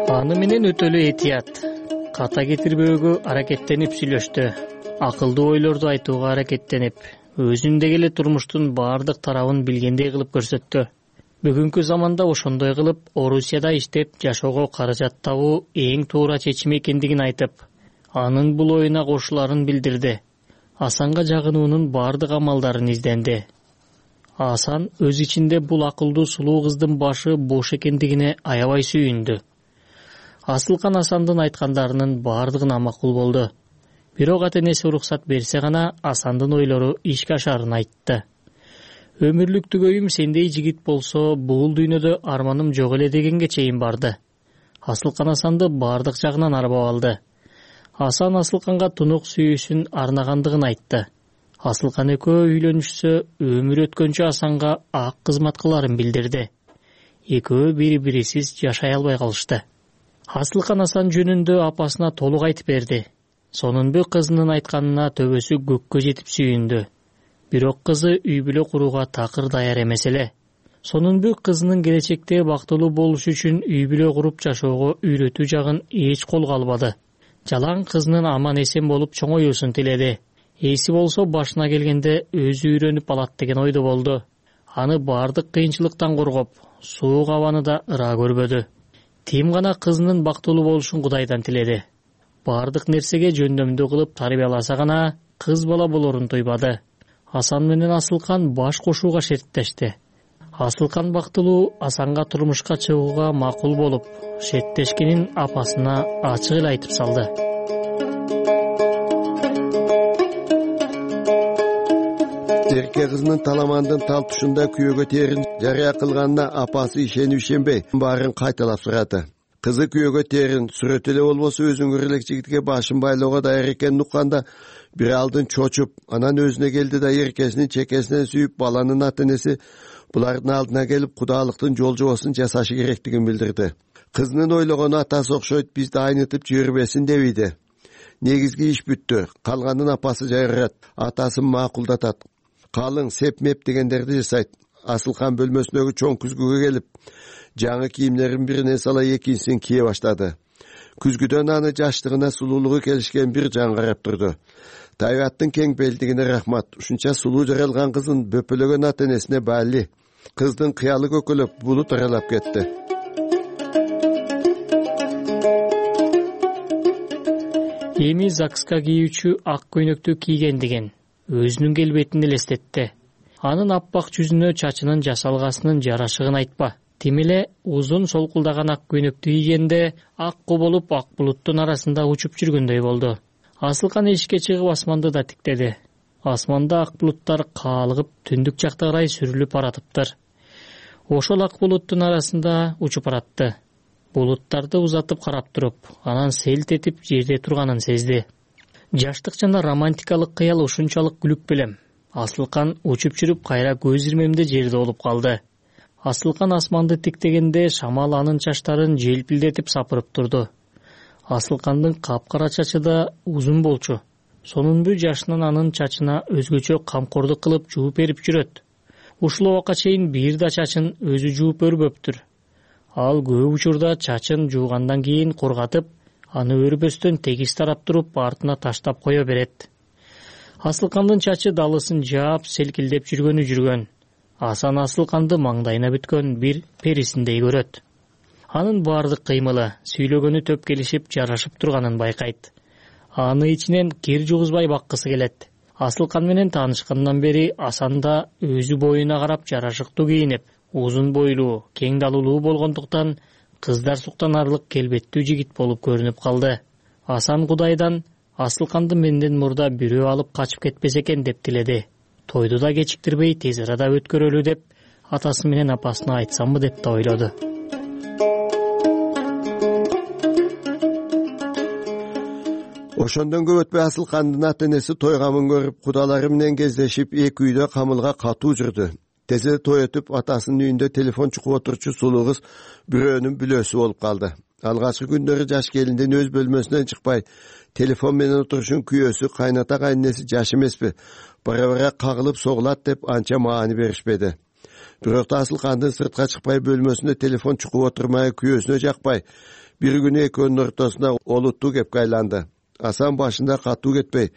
Аны менен өтө эле этият, ката кетирбөөгө аракеттенип сүйлөштү. Акылдуу ойлорду айтууга аракеттенип, өзүндөгү эле турмуштун баардык тарабын билгендей кылып көрсөттү. Бүгүнкү заманда ошондой кылып Орусияда иштеп жашоого каражат табуу эң туура чечим экендигин айтып, анын бул оюна кошуларын билдирди. Асанга жагынуунун баардык амалдарын изденди. Асан өз ичинде бул акылдуу сулуу кыздын башы бош экендигине аябай сүйүндү. Асылкан Асандын айткандарынын баардыгына макул болду. Бирок ата энеси уруксат берсе гана Асандын ойлору ишке ашарын айтты. Өмүрлүк түгөйүм сендей жигит болсо, бул дүйнөдө арманым жок эле дегенге чейин барды. Асылкан Асанды баардык жагынан арбап алды. Асан Асылканга тунук сүйүүсүн арнагандыгын айтты. Асылкан экөө үйлөнүшсө өмүр өткөнчө Асанга ак кызмат кыларын билдирди. Экөө бири-бирисиз жашай албай калышты. Асылкан Асан жөнүндө апасына толук айтып берди. Сонунбу кызынын айтканына төбөсү көккө жетип сүйүндү. Бирок кызы үй бүлө курууга такыр даяр эмес эле. Сонунбу кызынын келечекте бактылуу болушу үчүн үй бүлө куруп жашоого үйрөтүү жагын эч колго албады. Жалаң кызынын аман эсен болуп чоңоюусун тиледи. Эси болсо башына келгенде өзү үйрөнүп алат деген ойдо болду. Аны бардык кыйынчылыктан коргоп, суук абаны да ыраа көрбөдү. Тим гана кызынын бактылуу болушун Кудайдан тиледи. Бардык нерсеге жөндөмдүү кылып тарбияласа гана кыз бала болорун тойбады. Асан менен Асылкан баш кошууга шерттешти. Асылкан бактылуу Асанга турмушка чыгууга макул болуп, шерттешкенин апасына ачык эле айтып салды. Эрке кызынын таламандын талтышында күйөөгө терин жарыя кылганына апасы ишенип ишенбей баарын кайталап сурады. Кызы күйөөгө терин сүрөт эле болбосо өзүңөр элек жигитке башын байлоого даяр экенин укканда бир алдын чочуп, анан өзүнө келди да эркесинин чекесинен сүйүп баланын ата-энеси булардын алдына келип кудалыктын жолжобосун жасашы керектигин билдирди. Кызынын ойлогону атасы окшойт, бизди айнытып жибербесин дебейди. Негизги иш бүттү. Калганын апасы жайырат, атасын макулдатат. Калың, сеп-меп дегендерди жасайт. Асылкан бөлмөсүндөгү чоң күзгүгө келип, жаңы кийимдерин биринен сала экинчисин кие баштады. Күзгүдөн аны жаштыгына, сулуулугу келишкен бир жан карап турду. Тайбаттын кең белдигине рахмат. Ушунча сулуу жаралган кызын бөпөлөгөн ата-энесине баали. Кыздын кыялы көкөлөп булут аралап кетти. Эми ЗАГСка кийүүчү ак көйнөктү кийгендигин өзүнүн келбетин элестетти. Анын аппак жүзүнө чачынын жасалгасынын жарашыгын айтпа. Тим эле узун солкулдаган ак көйнөктү кийгенде ак болуп ак булуттун арасында учуп жүргөндөй болду. Асылкан эшикке чыгып асманды да тиктеди. Асманда ак булуттар каалыгып түндүк жакка карай сүрүлүп баратыптыр. Ошол ак булуттун арасында учуп баратты. Булуттарды узатып карап туруп, анан селт этип жерде турганын сезди. Жаштык жана романтикалык кыял ушунчалык күлүп белем. Асылкан учуп жүрүп кайра көз ирмемде жерде болуп калды. Асылкан асманды тиктегенде шамал анын чачтарын желпилдетип сапырып турду. Асылкандын капкара чачы да узун болчу. Сонунбу жашынан анын чачына өзгөчө камкордук кылып жууп берип жүрөт. Ушул убакка чейин бир да чачын өзү жууп өрбөптүр. Ал көп учурда чачын жуугандан кийин кургатып, аны өрбөстөн тегиз тарап туруп артына таштап кое берет. Асылкандын чачы далысын жаап, селкилдеп жүргөнү жүргөн. Асан Асылканды маңдайына бүткөн бир перисиндей көрөт. Анын бардык кыймылы, сүйлөгөнү төп келишип, жарашып турганын байкайт. Аны ичинен кир жугузбай баккысы келет. Асылкан менен таанышкандан бери Асан да өзү боюна карап жарашыктуу кийинип, узун бойлуу, кең далулуу болгондуктан кыздар суктанарлык келбеттүү жигит болуп көрүнүп калды. Асан Кудайдан Асылканды менден мурда бирөө алып качып кетпесе экен деп тиледи. Тойду да кечиктирбей тез арада өткөрөлү деп атасы менен апасына айтсамбы деп да ойлоду. Ошондон көп өтпөй Асылкандын ата-энеси тойгамын көрүп, кудалары менен кездешип, эки үйдө камылга катуу жүрдү. Тезе той өтүп, атасынын үйүндө телефон чукуп отурчу сулуу кыз бирөөнүн бүлөсү болуп калды. Алгачкы күндөрү жаш келиндин өз бөлмөсүнөн чыкпай, телефон менен отурушун күйөөсү, кайната кайненеси жаш эмеспи, бара-бара кагылып согулат деп анча маани беришпеди. Бирок да Асылкандын сыртка чыкпай бөлмөсүндө телефон чукуп отурмай, күйөөсүнө жакпай, бир күнү экөөнүн ортосуна олуттуу кепке айланды. Асан башында катуу кетпей,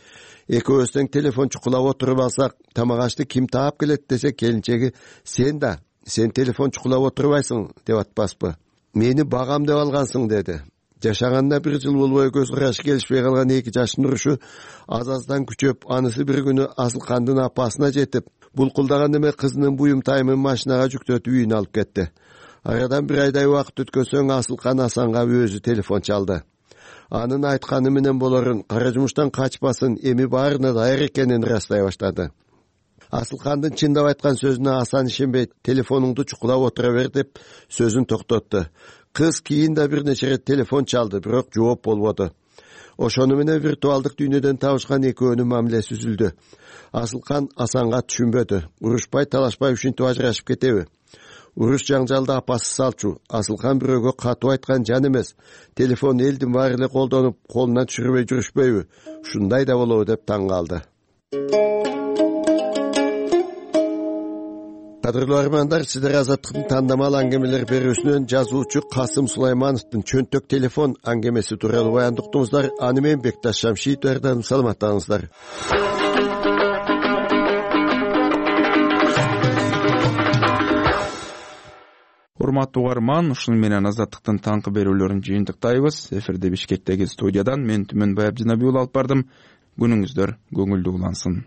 экөөбүз тең телефон чукулап отуруп алсак, тамак ашты ким таап келет десе, келинчеги сен да, сен телефон чукулап отурбайсың деп атпаспы. Мени багам деп алгансың деди. Жашаганда бир жыл болбой көз карашы келишпей калган эки жаштын урушу аз-аздан күчөп, анысы бир күнү Асылкандын апасына жетип, булкулдаган эме кызынын буюм тайымын машинага жүктөтүп үйүнө алып кетти. Арадан бир айдай убакыт өткөн соң Асылкан Асанга өзү телефон чалды. Анын айтканы менен болорун, кара жумуштан качпасын, эми баарына даяр экенин ырастай баштады. Асылкандын чындап айткан сөзүнө Асан ишенбей, телефонуңду чукулап отура бер деп сөзүн токтотту. Кыз кийин да бир нече рет телефон чалды, бирок жооп болбоду. ошону менен виртуалдык дүйнөдөн табышкан экөөнүн мамилеси үзүлдү. Асылкан Асанга түшүнбөдү. Урушпай, талашпай ушинтип ажырашып кетеби? Уруш жаңжалды апасы салчу. Асылкан бирөөгө катуу айткан жан эмес. Телефон элдин баары эле колдонуп, колунан түшүрбөй жүрүшпөйбү? Ушундай да болобу деп таң калды. Кадырлуу армандар, сиздер Азаттыктын тандамал аңгемелер берүүсүнөн жазуучу Касым Сулаймановдун чөнтөк телефон аңгемеси тууралуу баянды уктуңуздар. Аны менен Бекташ Шамшиев даярдадым. Саламаттаңыздар. Урматтуу угарман, ушуну менен Азаттыктын таңкы берүүлөрүн жыйынтыктайбыз. Эфирде Бишкектеги студиядан мен Түмөн Баябжанабек алып бардым. Күнүңүздөр көңүлдүү улансын.